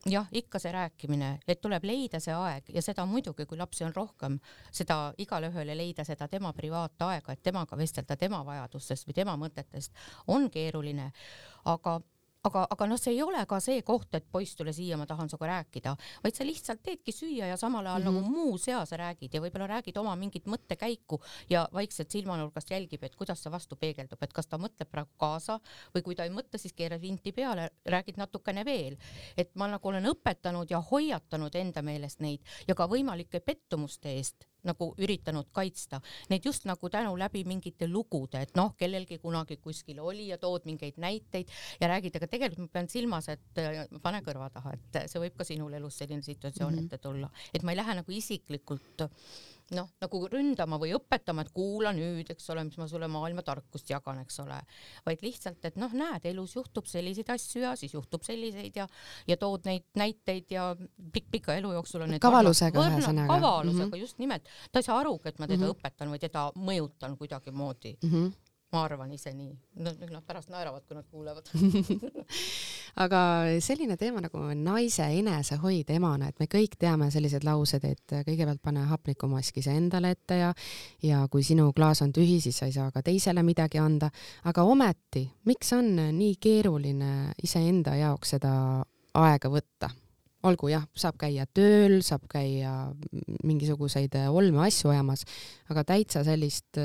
jah, ikka see rääkimine, et tuleb leida see aeg ja seda muidugi, kui lapsi on rohkem, seda igale ühele leida seda tema privaataega, et temaga vestelda tema vajadustest või tema mõtetest on keeruline, aga see ei ole ka see koht, et poiss tule siia, ma tahan sinuga rääkida, vaid sa lihtsalt teedki süüa ja samal ajal nagu muu seas räägid ja võib-olla räägid oma mingit mõttekäiku ja vaikselt silmanurgast jälgib, et kuidas see vastu peegeldub, et kas ta mõtleb praegu kaasa või kui ta ei mõtle, siis keerad vinti peale, räägid natukene veel. Et ma nagu olen õpetanud ja hoiatanud enda meelest neid ja ka võimalike pettumuste eest nagu üritanud kaitsta. Need just nagu tänu läbi mingite lugude, et kellelgi kunagi kuskil oli ja tood mingeid näiteid ja räägid, aga tegelikult ma pean silmas, et pane kõrva taha, et see võib ka sinul elus selline situatsioon ette tulla. Et ma ei lähe nagu isiklikult noh, nagu ründama või õpetama, et kuula nüüd, eks ole, mis ma sulle maailma tarkust jagan, eks ole, vaid lihtsalt, et noh, näed, elus juhtub selliseid asju ja siis juhtub selliseid ja tood neid näiteid ja pika elu jooksul on need kavalusega ühesõnaga. Kavalusega, just nimelt. Ta ei saa aru, et ma teda õpetan või teda mõjutan kuidagimoodi. Ma arvan ise nii. Nad pärast naeravad, kui nad kuulevad. Aga selline teema nagu naise enesehoid emana, et me kõik teame sellised laused, et kõigepealt pane hapnikumaski see endale ette ja kui sinu klaas on tühi, siis sa ei saa ka teisele midagi anda. Aga ometi, miks on nii keeruline iseenda jaoks seda aega võtta? Olgu jah, saab käia tööl, saab käia mingisuguseid olme asju ajamas, aga täitsa sellist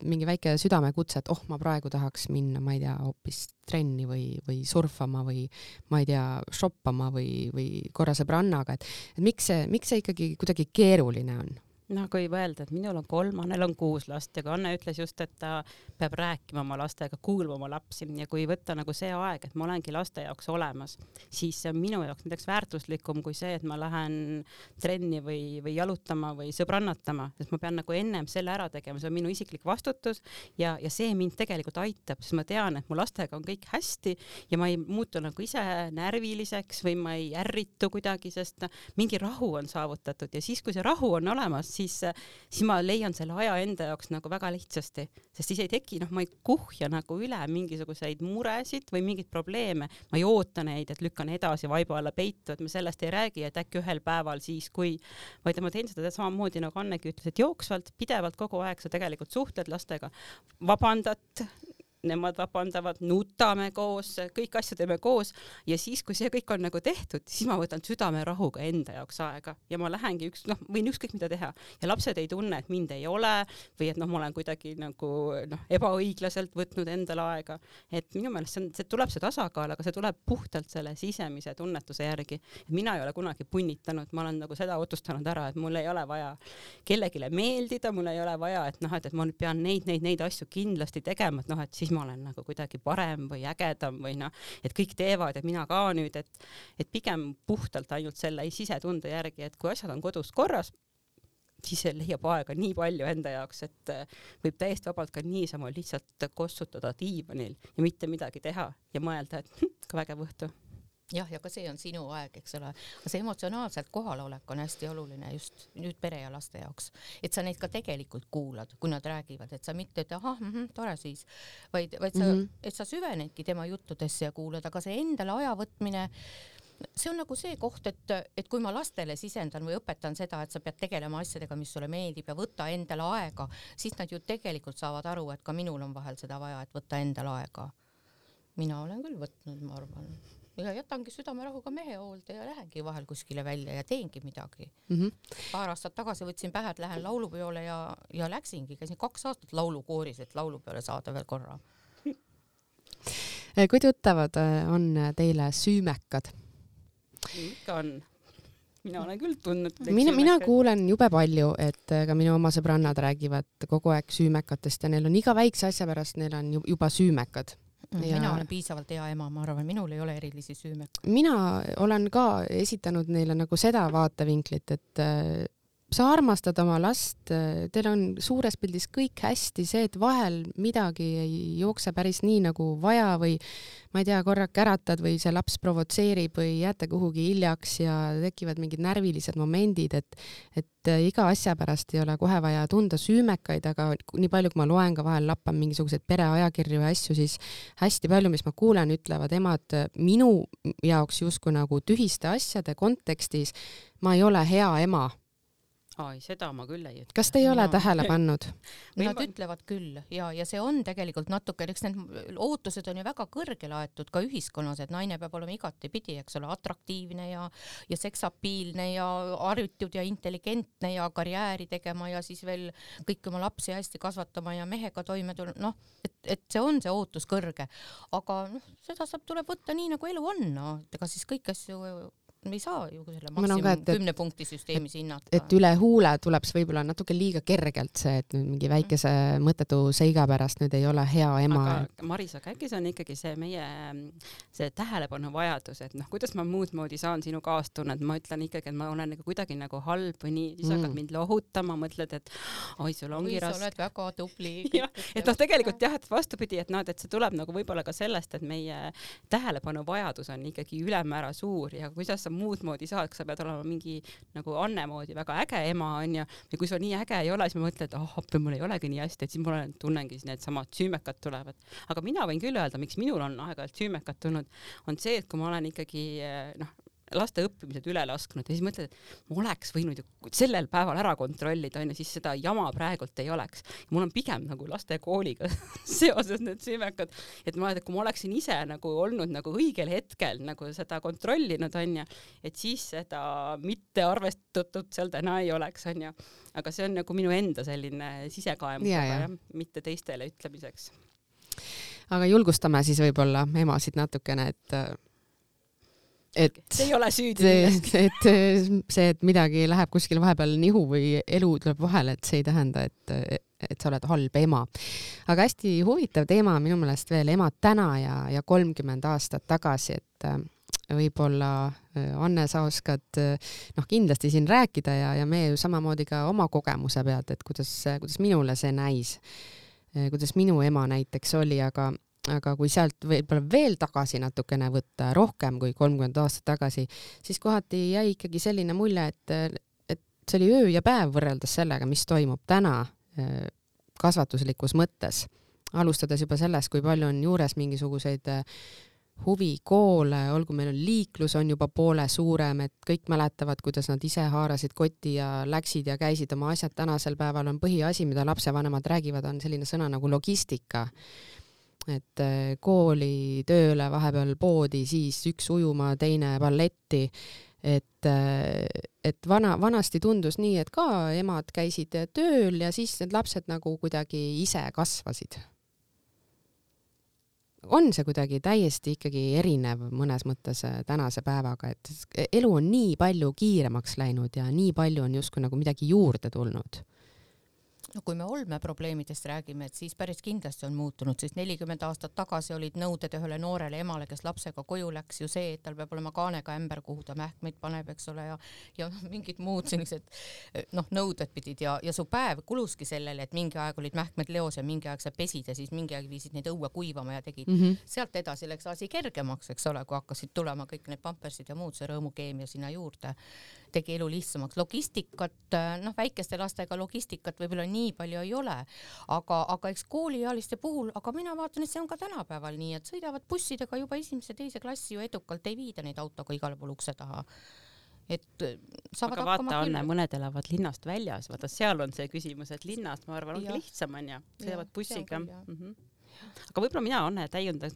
mingi väike südamekutse, et ma praegu tahaks minna, ma ei tea, hoopis trenni või surfama või ma ei tea, shoppama või korra sõbrannaga, et miks see ikkagi kuidagi keeruline on? No kui öelda, et minul on 3, Annel on 6 last ja kui Anne ütles just, et ta peab rääkima oma lastega, kuulma oma lapsi ja kui võtta nagu see aeg, et ma olengi laste jaoks olemas, siis see on minu jaoks näiteks väärtuslikum kui see, et ma lähen trenni või jalutama või sõbrannatama, sest ma pean nagu ennem selle ära tegema, see on minu isiklik vastutus ja see mind tegelikult aitab, sest ma tean, et mu lastega on kõik hästi ja ma ei muutu nagu ise närviliseks või ma ei ärritu kuidagi, sest mingi rahu on saavutatud ja siis, kui see rahu on olemas, siis ma leian selle aja enda jaoks nagu väga lihtsasti, sest siis ei teki, ma ei kuhja nagu üle mingisuguseid muresid või mingeid probleeme, ma ei oota neid, et lükkan edasi vaiba alla peitu, et me sellest ei räägi, et äkki ühel päeval siis, vaid ma teen seda samamoodi nagu Annegi ütles, et jooksvalt, pidevalt kogu aeg sa tegelikult suhtled lastega, vabandad, nemad vabandavad, nutame koos, kõik asju teeme koos ja siis, kui see kõik on nagu tehtud, siis ma võtan südamerahuga enda jaoks aega ja ma lähengi võin ükskõik mida teha ja lapsed ei tunne, et mind ei ole või et ma olen kuidagi nagu ebaõiglaselt võtnud endale aega, et minu meelest see tuleb see tasakaal, aga see tuleb puhtalt selle sisemise tunnetuse järgi. Mina ei ole kunagi punnitanud, ma olen nagu seda otsustanud ära, et mul ei ole vaja kellegile meeldida, mul ei ole vaja, et ma nüüd pean neid asju kindlasti tegema, et siis ma olen nagu kuidagi parem või ägedam või et kõik teevad ja mina ka nüüd, et pigem puhtalt ainult selle sisetunde järgi, et kui asjad on kodus korras, siis see leiab aega nii palju enda jaoks, et võib täiesti vabalt ka niisama lihtsalt kossutada diivanil ja mitte midagi teha ja mõelda, et ka vägev õhtu. Jah, ja ka see on sinu aeg, eks ole. See emotsionaalselt kohalolek on hästi oluline just nüüd pere ja laste jaoks. Et sa neid ka tegelikult kuulad, kui nad räägivad, et sa mitte, et tore siis, vaid et sa süvenedki tema juttudesse ja kuulad, aga see endale aja võtmine, see on nagu see koht, et kui ma lastele sisendan või õpetan seda, et sa pead tegelema asjadega, mis sulle meeldib ja võtta endale aega, siis nad ju tegelikult saavad aru, et ka minul on vahel seda vaja, et võtta endale aega. Mina olen küll võtnud, ma arvan. Ja jätangi südamerahuga mehe hoolde ja lähengi vahel kuskile välja ja teengi midagi. Paar aastat tagasi võtsin pähe, et lähen laulupeole ja läksingi, käisin 2 aastat laulukooris, et laulupeole saada veel korra. Kui tuttavad on teile süümekad? Ikka on. Mina olen küll tundnud. Mina kuulen jube palju, et ka minu oma sõbrannad räägivad kogu aeg süümekatest ja neil on iga väikse asja pärast, neil on juba süümekad. Mina olen piisavalt hea ema, ma arvan, minul ei ole erilisi süümekad. Mina olen ka esitanud neile nagu seda vaatevinklit, et sa armastad oma last, teil on suures pildis kõik hästi, see, et vahel midagi ei jookse päris nii nagu vaja või ma ei tea, korrake äratad või see laps provotseerib või jääte kuhugi hiljaks ja tekivad mingid närvilised momendid, et iga asja pärast ei ole kohe vaja tunda süümekaid, aga nii palju, kui ma loen ka vahel lappan mingisuguseid pereajakirju ja asju, siis hästi palju, mis ma kuulen, ütlevad emad minu jaoks justkui nagu tühiste asjade kontekstis, ma ei ole hea ema. Seda ma küll ei ütle. Kas te ei ole tähele pannud? Nad ütlevad küll ja see on tegelikult natuke, eks need ootused on ju väga kõrgele aetud ka ühiskonnas, et naine peab olema igatepidi, eks ole, atraktiivne ja seksapiilne ja harjutud ja intelligentne ja karjääri tegema ja siis veel kõik oma lapsi hästi kasvatama ja mehega toime tulla, et see on see ootus kõrge. Aga seda tuleb võtta nii, nagu elu on, ega siis kõik asju ei saa ju selle maksimum 10 punkti süsteemis hinnata. Et üle huule tuleb see võib-olla natuke liiga kergelt see, et nüüd mingi väikese mõttetu seiga pärast nüüd ei ole hea ema. Aga Maris, aga äkki see on ikkagi see meie see tähelepanu vajadus, et kuidas ma muud moodi saan sinu kaastunnet, ma ütlen ikkagi, et ma olen nagu kuidagi nagu halb või nii, siis hakkad mind lohutama, mõtled, et oi, sul ongi raske. Sa oled väga tubli. Et tegelikult jah, et vastupidi, et et see tuleb nagu võib-olla ka sellest, et meie tähelepanu vajadus on ikkagi ülemäära suur ja kuidas sa muud moodi saad, sa pead olema mingi nagu Anne moodi väga äge ema on ja kui sul nii äge ei ole, siis ma mõtlen, et appi, mul ei olegi nii hästi, et siis mul tunnengi need samad süümekad tulevad. Aga mina võin küll öelda, miks minul on aeg-ajalt süümekad tulnud, on see, et kui ma olen ikkagi laste õppimised üle lasknud ja siis mõtled, et ma oleks võinud ju sellel päeval ära kontrollida, siis seda jama praegult ei oleks. Ja mul on pigem nagu laste kooliga seoses need süümekad, et kui ma oleksin ise nagu olnud nagu õigel hetkel nagu seda kontrollinud, et siis seda mitte arvestatud seal täna ei oleks, aga see on nagu minu enda selline sisekaem, mitte teistele ütlemiseks. Aga julgustame siis võib-olla emasid natukene, et see ei ole süüdi milleski. Et midagi läheb kuskil vahepeal nihu või elu tuleb vahele, et see ei tähenda, et sa oled halb ema. Aga hästi huvitav teema minu meelest veel emad täna ja 30 aastat tagasi, et võib-olla Anne, sa oskad kindlasti siin rääkida ja me ju samamoodi ka oma kogemuse pealt, et kuidas minule see näis, kuidas minu ema näiteks oli, aga kui sealt võib-olla veel tagasi natukene võtta, rohkem kui 30 aastat tagasi, siis kohati jäi ikkagi selline mulje, et see oli öö ja päev võrreldes sellega, mis toimub täna kasvatuslikus mõttes. Alustades juba sellest, kui palju on juures mingisuguseid huvikoole, olgu meil on liiklus on juba poole suurem, et kõik mäletavad, kuidas nad ise haarasid kotti ja läksid ja käisid oma asjad. Tänasel päeval on põhiasi, mida lapsevanemad räägivad, on selline sõna nagu logistika. Et kooli, tööle, vahepeal poodi, siis üks ujuma, teine balletti, et vanasti tundus nii, et ka emad käisid tööl ja siis need lapsed nagu kuidagi ise kasvasid. On see kuidagi täiesti ikkagi erinev mõnes mõttes tänase päevaga, et elu on nii palju kiiremaks läinud ja nii palju on justkui nagu midagi juurde tulnud. No kui me olmeprobleemidest räägime, et siis päris kindlasti on muutunud, siis 40 aastat tagasi olid nõuded ühele noorele emale, kes lapsega koju läks, ju see, et tal peab olema kaanega ämber, kuhu ta mähkmeid paneb, eks ole, ja mingid muud sellised nõuded pidid ja su päev kuluski sellele, et mingi aeg olid mähkmed leos ja mingi aeg sa pesid ja siis mingi aeg viisid neid õue kuivama ja tegid. Sealt edasi läks asi kergemaks, eks ole, kui hakkasid tulema kõik need pampersid ja muud, see rõõmukeemia sinna juurde tegi elu lihtsamaks. Logistikat, väikeste lastega logistikat võib-olla nii palju ei ole, aga eks kooliealiste puhul, aga mina vaatan, et see on ka tänapäeval nii, et sõidavad bussidega juba 1. ja 2. klassi ju edukalt, ei viida neid autoga igale pool ukse taha. Et saavad aga vaata, Anne, mõned elavad linnast väljas, vaata seal on see küsimus, et linnast, ma arvan, ongi lihtsam on ja sõidavad bussiga. Aga võib-olla mina, Anne, täiundan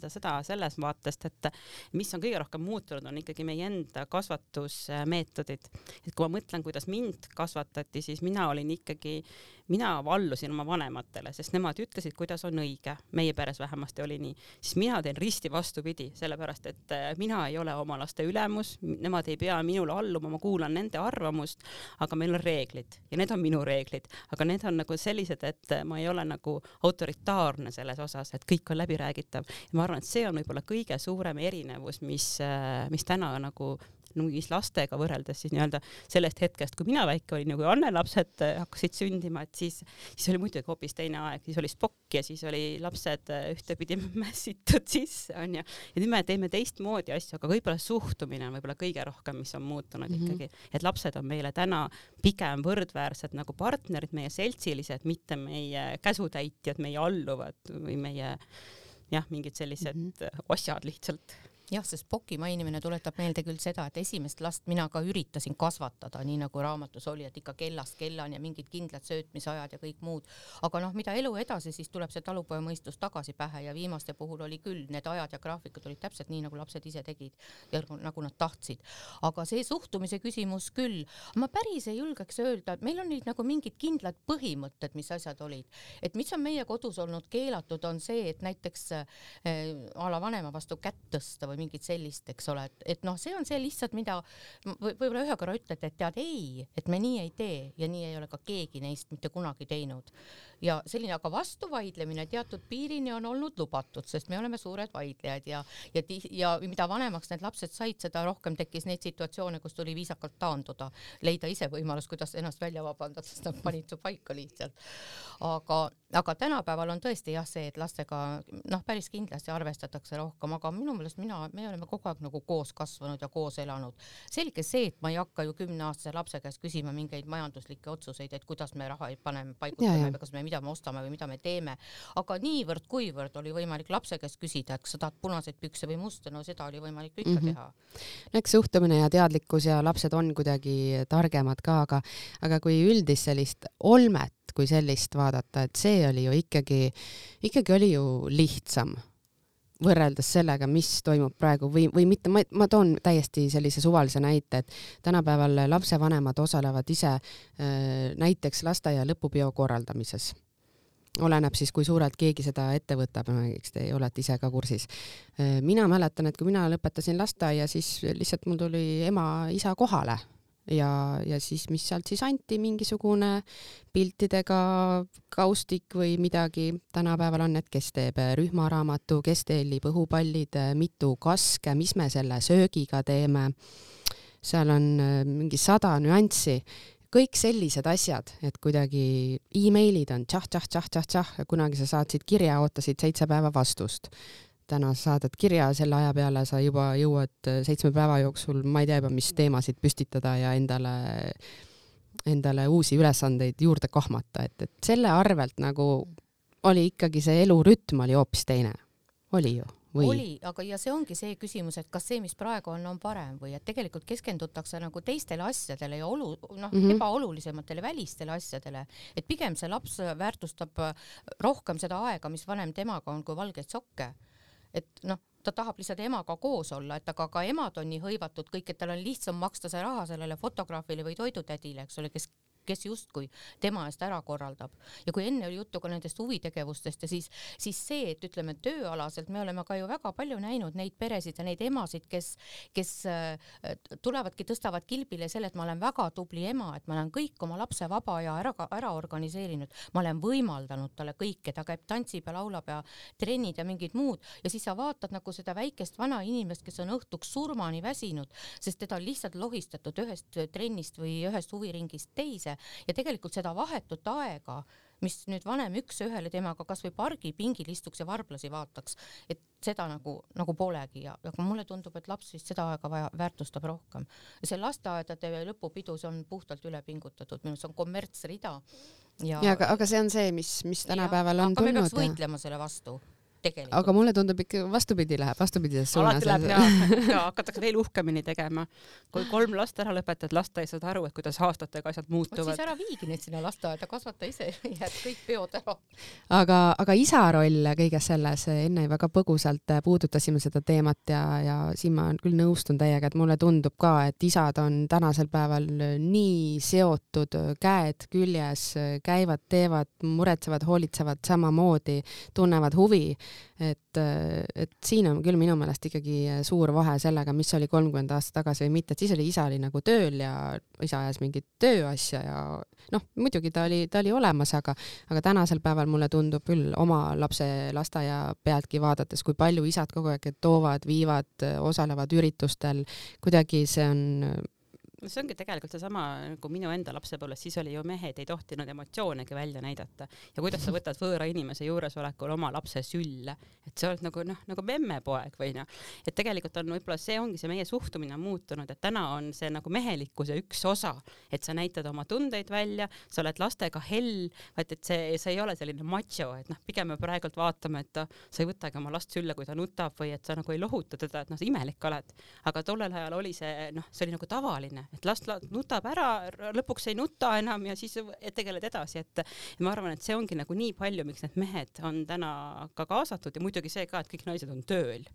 seda selles vaatest, et mis on kõige rohkem muutunud, on ikkagi meie enda kasvatusmeetodid. Et kui ma mõtlen, kuidas mind kasvatati, siis mina vallusin oma vanematele, sest nemad ütlesid, kuidas on õige. Meie peres vähemasti oli nii. Siis mina teen risti vastupidi, sellepärast, et mina ei ole oma laste ülemus, nemad ei pea minule alluma, ma kuulan nende arvamust, aga meil on reeglid ja need on minu reeglid, aga need on nagu sellised, et ma ei ole nagu autoritaarne selles osas, et kõik on läbiräägitav. Ja ma arvan, et see on võib-olla kõige suurem erinevus, mis täna nagu mis lastega võrreldes siis nii-öelda sellest hetkest, kui mina väike olin, kui Anne lapsed hakkasid sündima, et siis oli muidugi hoopis teine aeg, siis oli spokk ja siis oli lapsed ühtepidi mässitud sisse, on ja nüüd me teeme teistmoodi asju, aga võib-olla suhtumine on võib-olla kõige rohkem, mis on muutunud ikkagi, et lapsed on meile täna pigem võrdväärsed nagu partnerid, meie seltsilised, mitte meie käsutäitjad, meie alluvad või meie mingid sellised osad lihtsalt. Jah, see Spoki mainimine tuletab meelde küll seda, et esimest last mina ka üritasin kasvatada, nii nagu raamatus oli, et ikka kellast kellan ja mingid kindlad söötmisajad ja kõik muud. Aga mida elu edasi, siis tuleb see talupoja mõistus tagasi pähe ja viimaste puhul oli küll, need ajad ja graafikud olid täpselt nii, nagu lapsed ise tegid ja nagu nad tahtsid. Aga see suhtumise küsimus küll, ma päris ei julgeks öelda, et meil on nüüd nagu mingid kindlad põhimõtted, mis asjad olid. Et mis on meie kodus olnud keelatud, on see, et näiteks ala vanema vastu kätt tõsta või mingit sellist, eks ole, et noh, see on see lihtsalt, mida võib-olla ühe korra ütled, et tead ei, et me nii ei tee ja nii ei ole ka keegi neist mitte kunagi teinud. Ja selline aga vastuvaidlemine teatud piirini on olnud lubatud, sest me oleme suured vaidlejad ja mida vanemaks need lapsed said, seda rohkem tekkis neid situatsioone, kus tuli viisakalt taanduda, leida ise võimalus, kuidas ennast välja vabandada, sest nad panid su paika lihtsalt. Aga tänapäeval on tõesti jah see, et lastega päris kindlasti arvestatakse rohkem, aga minu meelest me oleme kogu aeg nagu koos kasvanud ja koos elanud. Selge see, et ma ei hakka ju 10-aastase lapse käest küsima mingeid majanduslikke otsuseid, et kuidas me raha paneme, paigutame, kas me mida me ostame või mida me teeme, aga niivõrd kuivõrd oli võimalik lapse käest küsida, et kas sa tahad punaseid pükse või musta, no seda oli võimalik ikka teha. Eks suhtumine ja teadlikkus ja lapsed on kuidagi targemad ka, aga kui üldist sellist olmet kui sellist vaadata, et see oli ju ikkagi oli ju lihtsam võrreldes sellega, mis toimub praegu või mitte, ma toon täiesti sellise suvalise näite, et tänapäeval lapsevanemad osalevad ise näiteks lasteaia lõpupeo korraldamises. Oleneb siis, kui suurelt keegi seda ette võtab, eks te olete ise ka kursis. Mina mäletan, et kui mina lõpetasin lasteaia, siis lihtsalt mul tuli ema-isa kohale ja siis, mis sealt siis anti, mingisugune piltidega kaustik või midagi. Tänapäeval on, et kes teeb rühmaraamatu, kes tellib õhupallid, mitu kaske, mis me selle söögiga teeme. Seal on mingi 100 nüanssi. Kõik sellised asjad, et kuidagi e-mailid on tšah, kunagi sa saatsid kirja, ootasid 7 päeva vastust. Täna saadad kirja, selle aja peale sa juba jõuad 7 päeva jooksul, ma ei tea juba, mis teemasid püstitada ja endale uusi ülesandeid juurde kahmata, et selle arvelt nagu oli ikkagi see elurütm oli hoopis teine. Oli ju? Oli, aga ja see ongi see küsimus, et kas see, mis praegu on parem või et tegelikult keskendutakse nagu teistele asjadele ja ebaolulisematele välistele asjadele, et pigem see laps väärtustab rohkem seda aega, mis vanem temaga on, kui valgeid sokke. Et ta tahab lihtsalt emaga koos olla, et aga ka emad on nii hõivatud kõik, et tal on lihtsam maksta see raha sellele fotograafile või toidutädile, eks ole, kes justkui tema eest ära korraldab. Ja kui enne oli juttu ka nendest huvitegevustest ja siis see, et ütleme tööalaselt me oleme ka ju väga palju näinud neid peresid ja neid emasid, kes tulevadki, tõstavad kilbile selle, et ma olen väga tubli ema, et ma olen kõik oma lapse vaba ja ära organiseerinud. Ma olen võimaldanud talle kõike, ta käib tantsib ja laulab ja trennid ja mingid muud ja siis sa vaatad nagu seda väikest vana inimest, kes on õhtuks surmani väsinud, sest teda on lihtsalt lohistatud ühest trennist või ühest huviringist teise. Ja tegelikult seda vahetut aega, mis nüüd vanem üks ühele temaga kas või pargipingil istuks ja varblasi vaataks, et seda nagu polegi ja mulle tundub, et laps vist seda aega väärtustab rohkem. Ja see lasteaedade lõpupidu, see on puhtalt üle pingutatud, minu see on kommertsrida. Aga see on see, mis tänapäeval on tulnud. Aga me peaks võitlema selle vastu. Tegelikult. Aga mulle tundub ikka vastupidises suunas. Alati läheb ja hakatakse veel uhkemini tegema. Kui 3 last ära lõpetad, lasta ei saada aru, et kuidas aastatega asjad muutuvad. Siis ära viigi neid sinna lasteaeda, kasvata ise ja kõik peod ära. Aga isa roll kõiges selles, enne väga põgusalt puudutasime seda teemat ja siin ma küll nõustun täiega, et mulle tundub ka, et isad on tänasel päeval nii seotud, käed küljes, käivad, teevad, muretsevad, hoolitsevad samamoodi, tunnevad huvi. Et siin on küll minu meelest ikkagi suur vahe sellega, mis oli 30 aastat tagasi või mitte, et siis oli isa oli nagu tööl ja isa ajas mingit tööasja ja muidugi ta oli olemas, aga tänasel päeval mulle tundub küll oma lapse lasteaia pealtki vaadates, kui palju isad kogu aeg toovad, viivad, osalevad üritustel, kuidagi see on see ongi tegelikult seesama nagu minu enda lapsepõlves, siis oli ju mehed ei tohtinud emotsioonegi välja näidata ja kuidas sa võtad võõra inimese juuresolekul oma lapse sülle, et see oled nagu memmepoeg või et tegelikult on võib-olla see ongi see meie suhtumine on muutunud, et täna on see nagu mehelikkuse üks osa, et sa näitad oma tundeid välja, sa oled lastega hell, et see ei ole selline macho, et pigem me praegult vaatame, et sa ei võtagi oma last sülle, kui ta nutab või et sa nagu ei lohuta teda, et sa imelik oled, aga tollel ajal oli see oli nagu tavaline et last nutab ära, lõpuks ei nuta enam ja siis tegeled edasi, et ma arvan, et see ongi nagu nii palju, miks need mehed on täna ka kaasatud ja muidugi see ka, et kõik naised on tööl.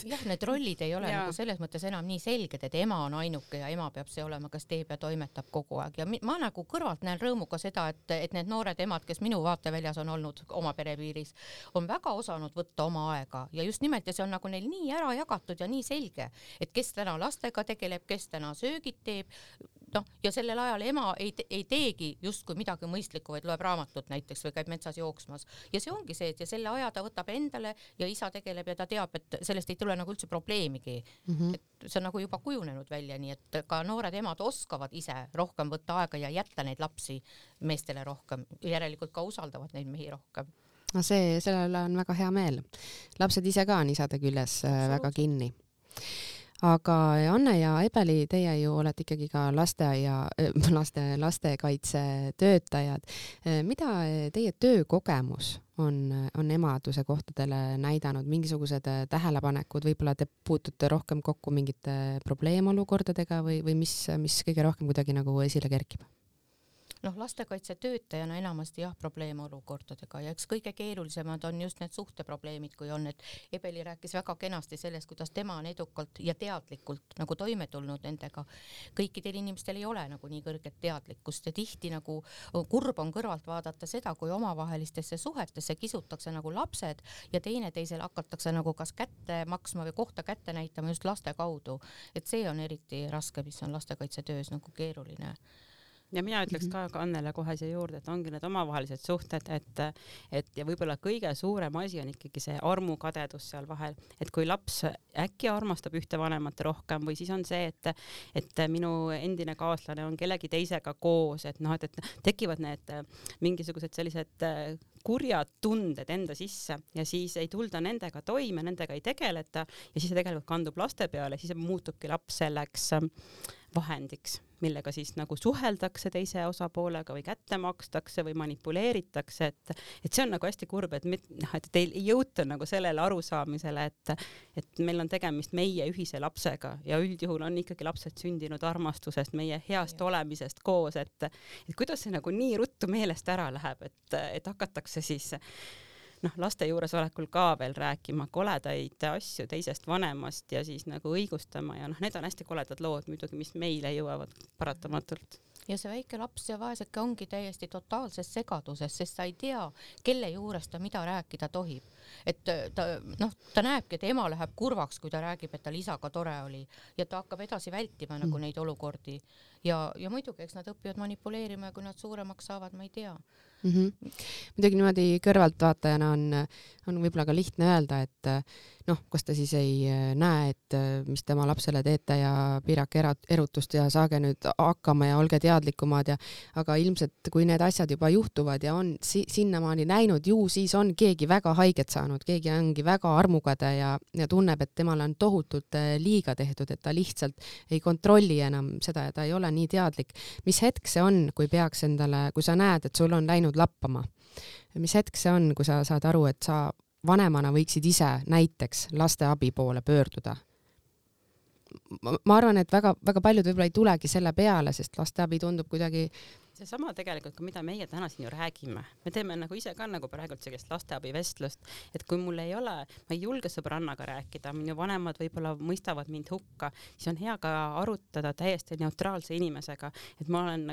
jah, need rollid ei ole nagu selles mõttes enam nii selged, et ema on ainuke ja ema peab see olema, kes teeb ja toimetab kogu aeg ja ma nagu kõrvalt näen rõõmuga seda, et need noored emad, kes minu vaateväljas on olnud oma perepiiris, on väga osanud võtta oma aega ja just nimelt ja see on nagu neil nii ära jagatud ja nii selge, et kes täna lastega tegeleb, kes täna söögid teeb, ja sellel ajal ema ei teegi justkui midagi mõistlikku, vaid loeb raamatut näiteks või käib metsas jooksmas ja see ongi see, et ja selle aja ta võtab endale ja isa tegeleb ja ta teab, et sellest ei tule nagu üldse probleemigi. Et see on nagu juba kujunenud välja, nii et ka noored emad oskavad ise rohkem võtta aega ja jätta neid lapsi meestele rohkem, järelikult ka usaldavad neid mehi rohkem. No sellele on väga hea meel. Lapsed ise ka on isade küljes väga kinni. Aga Anne ja Ebeli, teie ju olete ikkagi ka lastekaitse töötajad. Mida teie töökogemus on emaduse kohtadele näidanud, mingisugused tähelepanekud, võib-olla te puutute rohkem kokku mingite probleemolukordadega või mis kõige rohkem kuidagi nagu esile kerkib? Lastekaitse töötajana enamasti probleemolukordadega ja eks kõige keerulisemad on just need suhteprobleemid, kui on, et Ebeli rääkis väga kenasti sellest, kuidas tema on edukalt ja teadlikult nagu toime tulnud nendega. Kõikidel inimestel ei ole nagu nii kõrget teadlikkust ja tihti nagu kurb on kõrvalt vaadata seda, kui omavahelistesse suhetesse kisutakse nagu lapsed ja teineteisel hakatakse nagu kas kätte maksma või kohta kätte näitama just laste kaudu. Et see on eriti raske, mis on lastekaitse töös nagu keeruline. Ja mina ütleks ka Annele kohe siia juurde, et ongi need omavahelised suhted, et ja võib-olla kõige suurem asi on ikkagi see armukadedus seal vahel, et kui laps äkki armastab ühte vanemat rohkem või siis on see, et minu endine kaaslane on kellegi teisega koos, et tekivad need mingisugused sellised kurjad tunded enda sisse ja siis ei tulda nendega toime, nendega ei tegeleta ja siis see tegelikult kandub laste peale, siis muutubki laps selleks vahendiks, millega siis nagu suheldakse teise osapoolega või kätte makstakse või manipuleeritakse, et see on nagu hästi kurb, et ei jõuta nagu sellele arusaamisele, et meil on tegemist meie ühise lapsega ja üldjuhul on ikkagi lapsed sündinud armastusest, meie heast olemisest koos, et kuidas see nagu nii ruttu meelest ära läheb, et hakatakse siis laste juuresolekul ka veel rääkima koledaid asju teisest vanemast ja siis nagu õigustama ja need on hästi koledad lood muidugi, mis meile jõuavad paratamatult. Ja see väike laps ja vaeseke ongi täiesti totaalses segaduses, sest sa ei tea, kelle juures ta mida rääkida tohib. Et ta näebki, et ema läheb kurvaks, kui ta räägib, et tal isaga tore oli ja ta hakkab edasi vältima nagu neid olukordi. Ja muidugi, eks nad õpivad manipuleerima ja kui nad suuremaks saavad, ma ei tea. Muidugi niimoodi kõrvaltvaatajana on võib-olla ka lihtne öelda, et kas ta siis ei näe, et mis tema lapsele teete ja piirake erutust ja saage nüüd hakkama ja olge teadlikumad aga ilmselt kui need asjad juba juhtuvad ja on sinnamaani läinud, ju siis on keegi väga haiget saanud, keegi ongi väga armukade ja tunneb, et temale on tohutult liiga tehtud, et ta lihtsalt ei kontrolli enam seda ja ta ei ole nii teadlik. Mis hetk see on, kui sa näed, et sul on läinud lappama? Mis hetk see on, kui sa saad aru, et sa vanemana võiksid ise näiteks lasteabi poole pöörduda? Ma arvan, et väga paljud võib-olla ei tulegi selle peale, sest lasteabi tundub kuidagi seesama tegelikult ka, mida meie täna siin ju räägime. Me teeme nagu ise ka nagu praegult sellist lasteabi vestlust, et kui mul ei ole, ma ei julge sõbrannaga rääkida, minu vanemad võib-olla mõistavad mind hukka, siis on hea ka arutada täiesti neutraalse inimesega, et ma lähen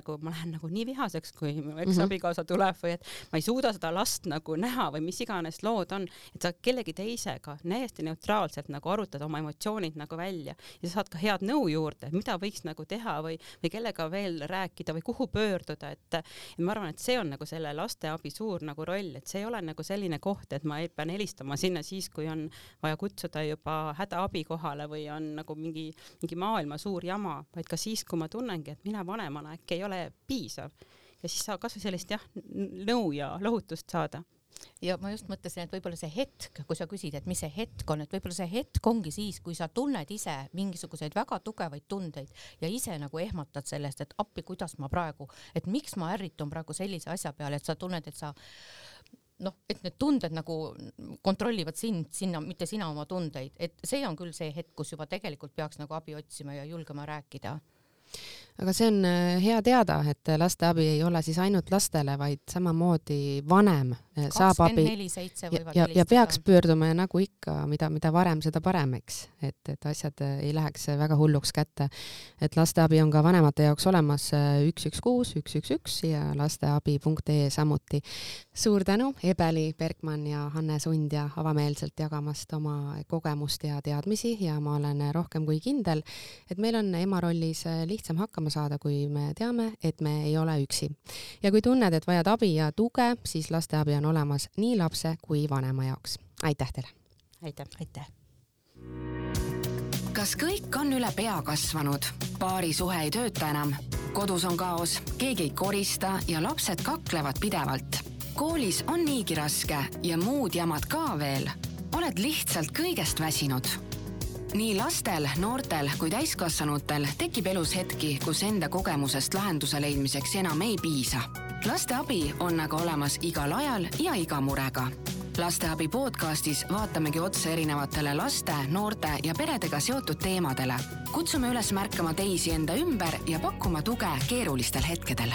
nagu nii vihaseks, kui mu eksabikaasa tuleb või et ma ei suuda seda last nagu näha või mis iganes lood on, et sa kellegi teisega täiesti neutraalselt nagu arutada oma emotsioonid nagu välja ja sa saad ka head nõu juurde, mida võiks nagu teha või kellega veel rääkida või kuhu pöörduda. Et ma arvan, et see on nagu selle lasteabi suur nagu roll, et see ei ole nagu selline koht, et ma pean helistama sinna siis, kui on vaja kutsuda juba hädaabi kohale või on nagu mingi maailma suur jama, vaid ka siis, kui ma tunnengi, et mina vanemana äkki ei ole piisav ja siis saab kas või sellist nõu ja lohutust saada. Ja ma just mõtlesin, et võib-olla see hetk, kui sa küsid, et mis see hetk on, et võib-olla see hetk ongi siis, kui sa tunned ise mingisuguseid väga tugevaid tundeid ja ise nagu ehmatad sellest, et appi, kuidas ma praegu, et miks ma ärritun praegu sellise asja peale, et sa tunned, et sa et need tunded nagu kontrollivad sind, mitte sina oma tundeid, et see on küll see hetk, kus juba tegelikult peaks nagu abi otsima ja julgema rääkida. Aga see on hea teada, et lasteabi ei ole siis ainult lastele, vaid samamoodi vanem saab abi 24/7 ja peaks pöörduma ja nagu ikka, mida varem, seda parem, eks, et asjad ei läheks väga hulluks kätte. Et lasteabi on ka vanemate jaoks olemas 116 111 ja lasteabi.ee samuti. Suur tänu, Ebeli Bergmann ja Hanne Sundja avameelselt jagamast oma kogemust ja teadmisi ja ma olen rohkem kui kindel, et meil on ema rollis lihtsam hakkama saada, kui me teame, et me ei ole üksi. Ja kui tunned, et vajad abi ja tuge, siis lasteabi on olemas nii lapse kui vanema jaoks. Aitäh teile! Aitäh! Kas kõik on üle pea kasvanud? Paari suhe ei tööta enam. Kodus on kaos, keegi ei korista ja lapsed kaklevad pidevalt. Koolis on niigi raske ja muud jamad ka veel. Oled lihtsalt kõigest väsinud. Nii lastel, noortel kui täiskasvanutel tekib elus hetki, kus enda kogemusest lahenduse leidmiseks enam ei piisa. Lasteabi on aga olemas igal ajal ja iga murega. Lasteabi podcastis vaatamegi otse erinevatele laste, noorte ja peredega seotud teemadele. Kutsume üles märkama teisi enda ümber ja pakkuma tuge keerulistel hetkedel.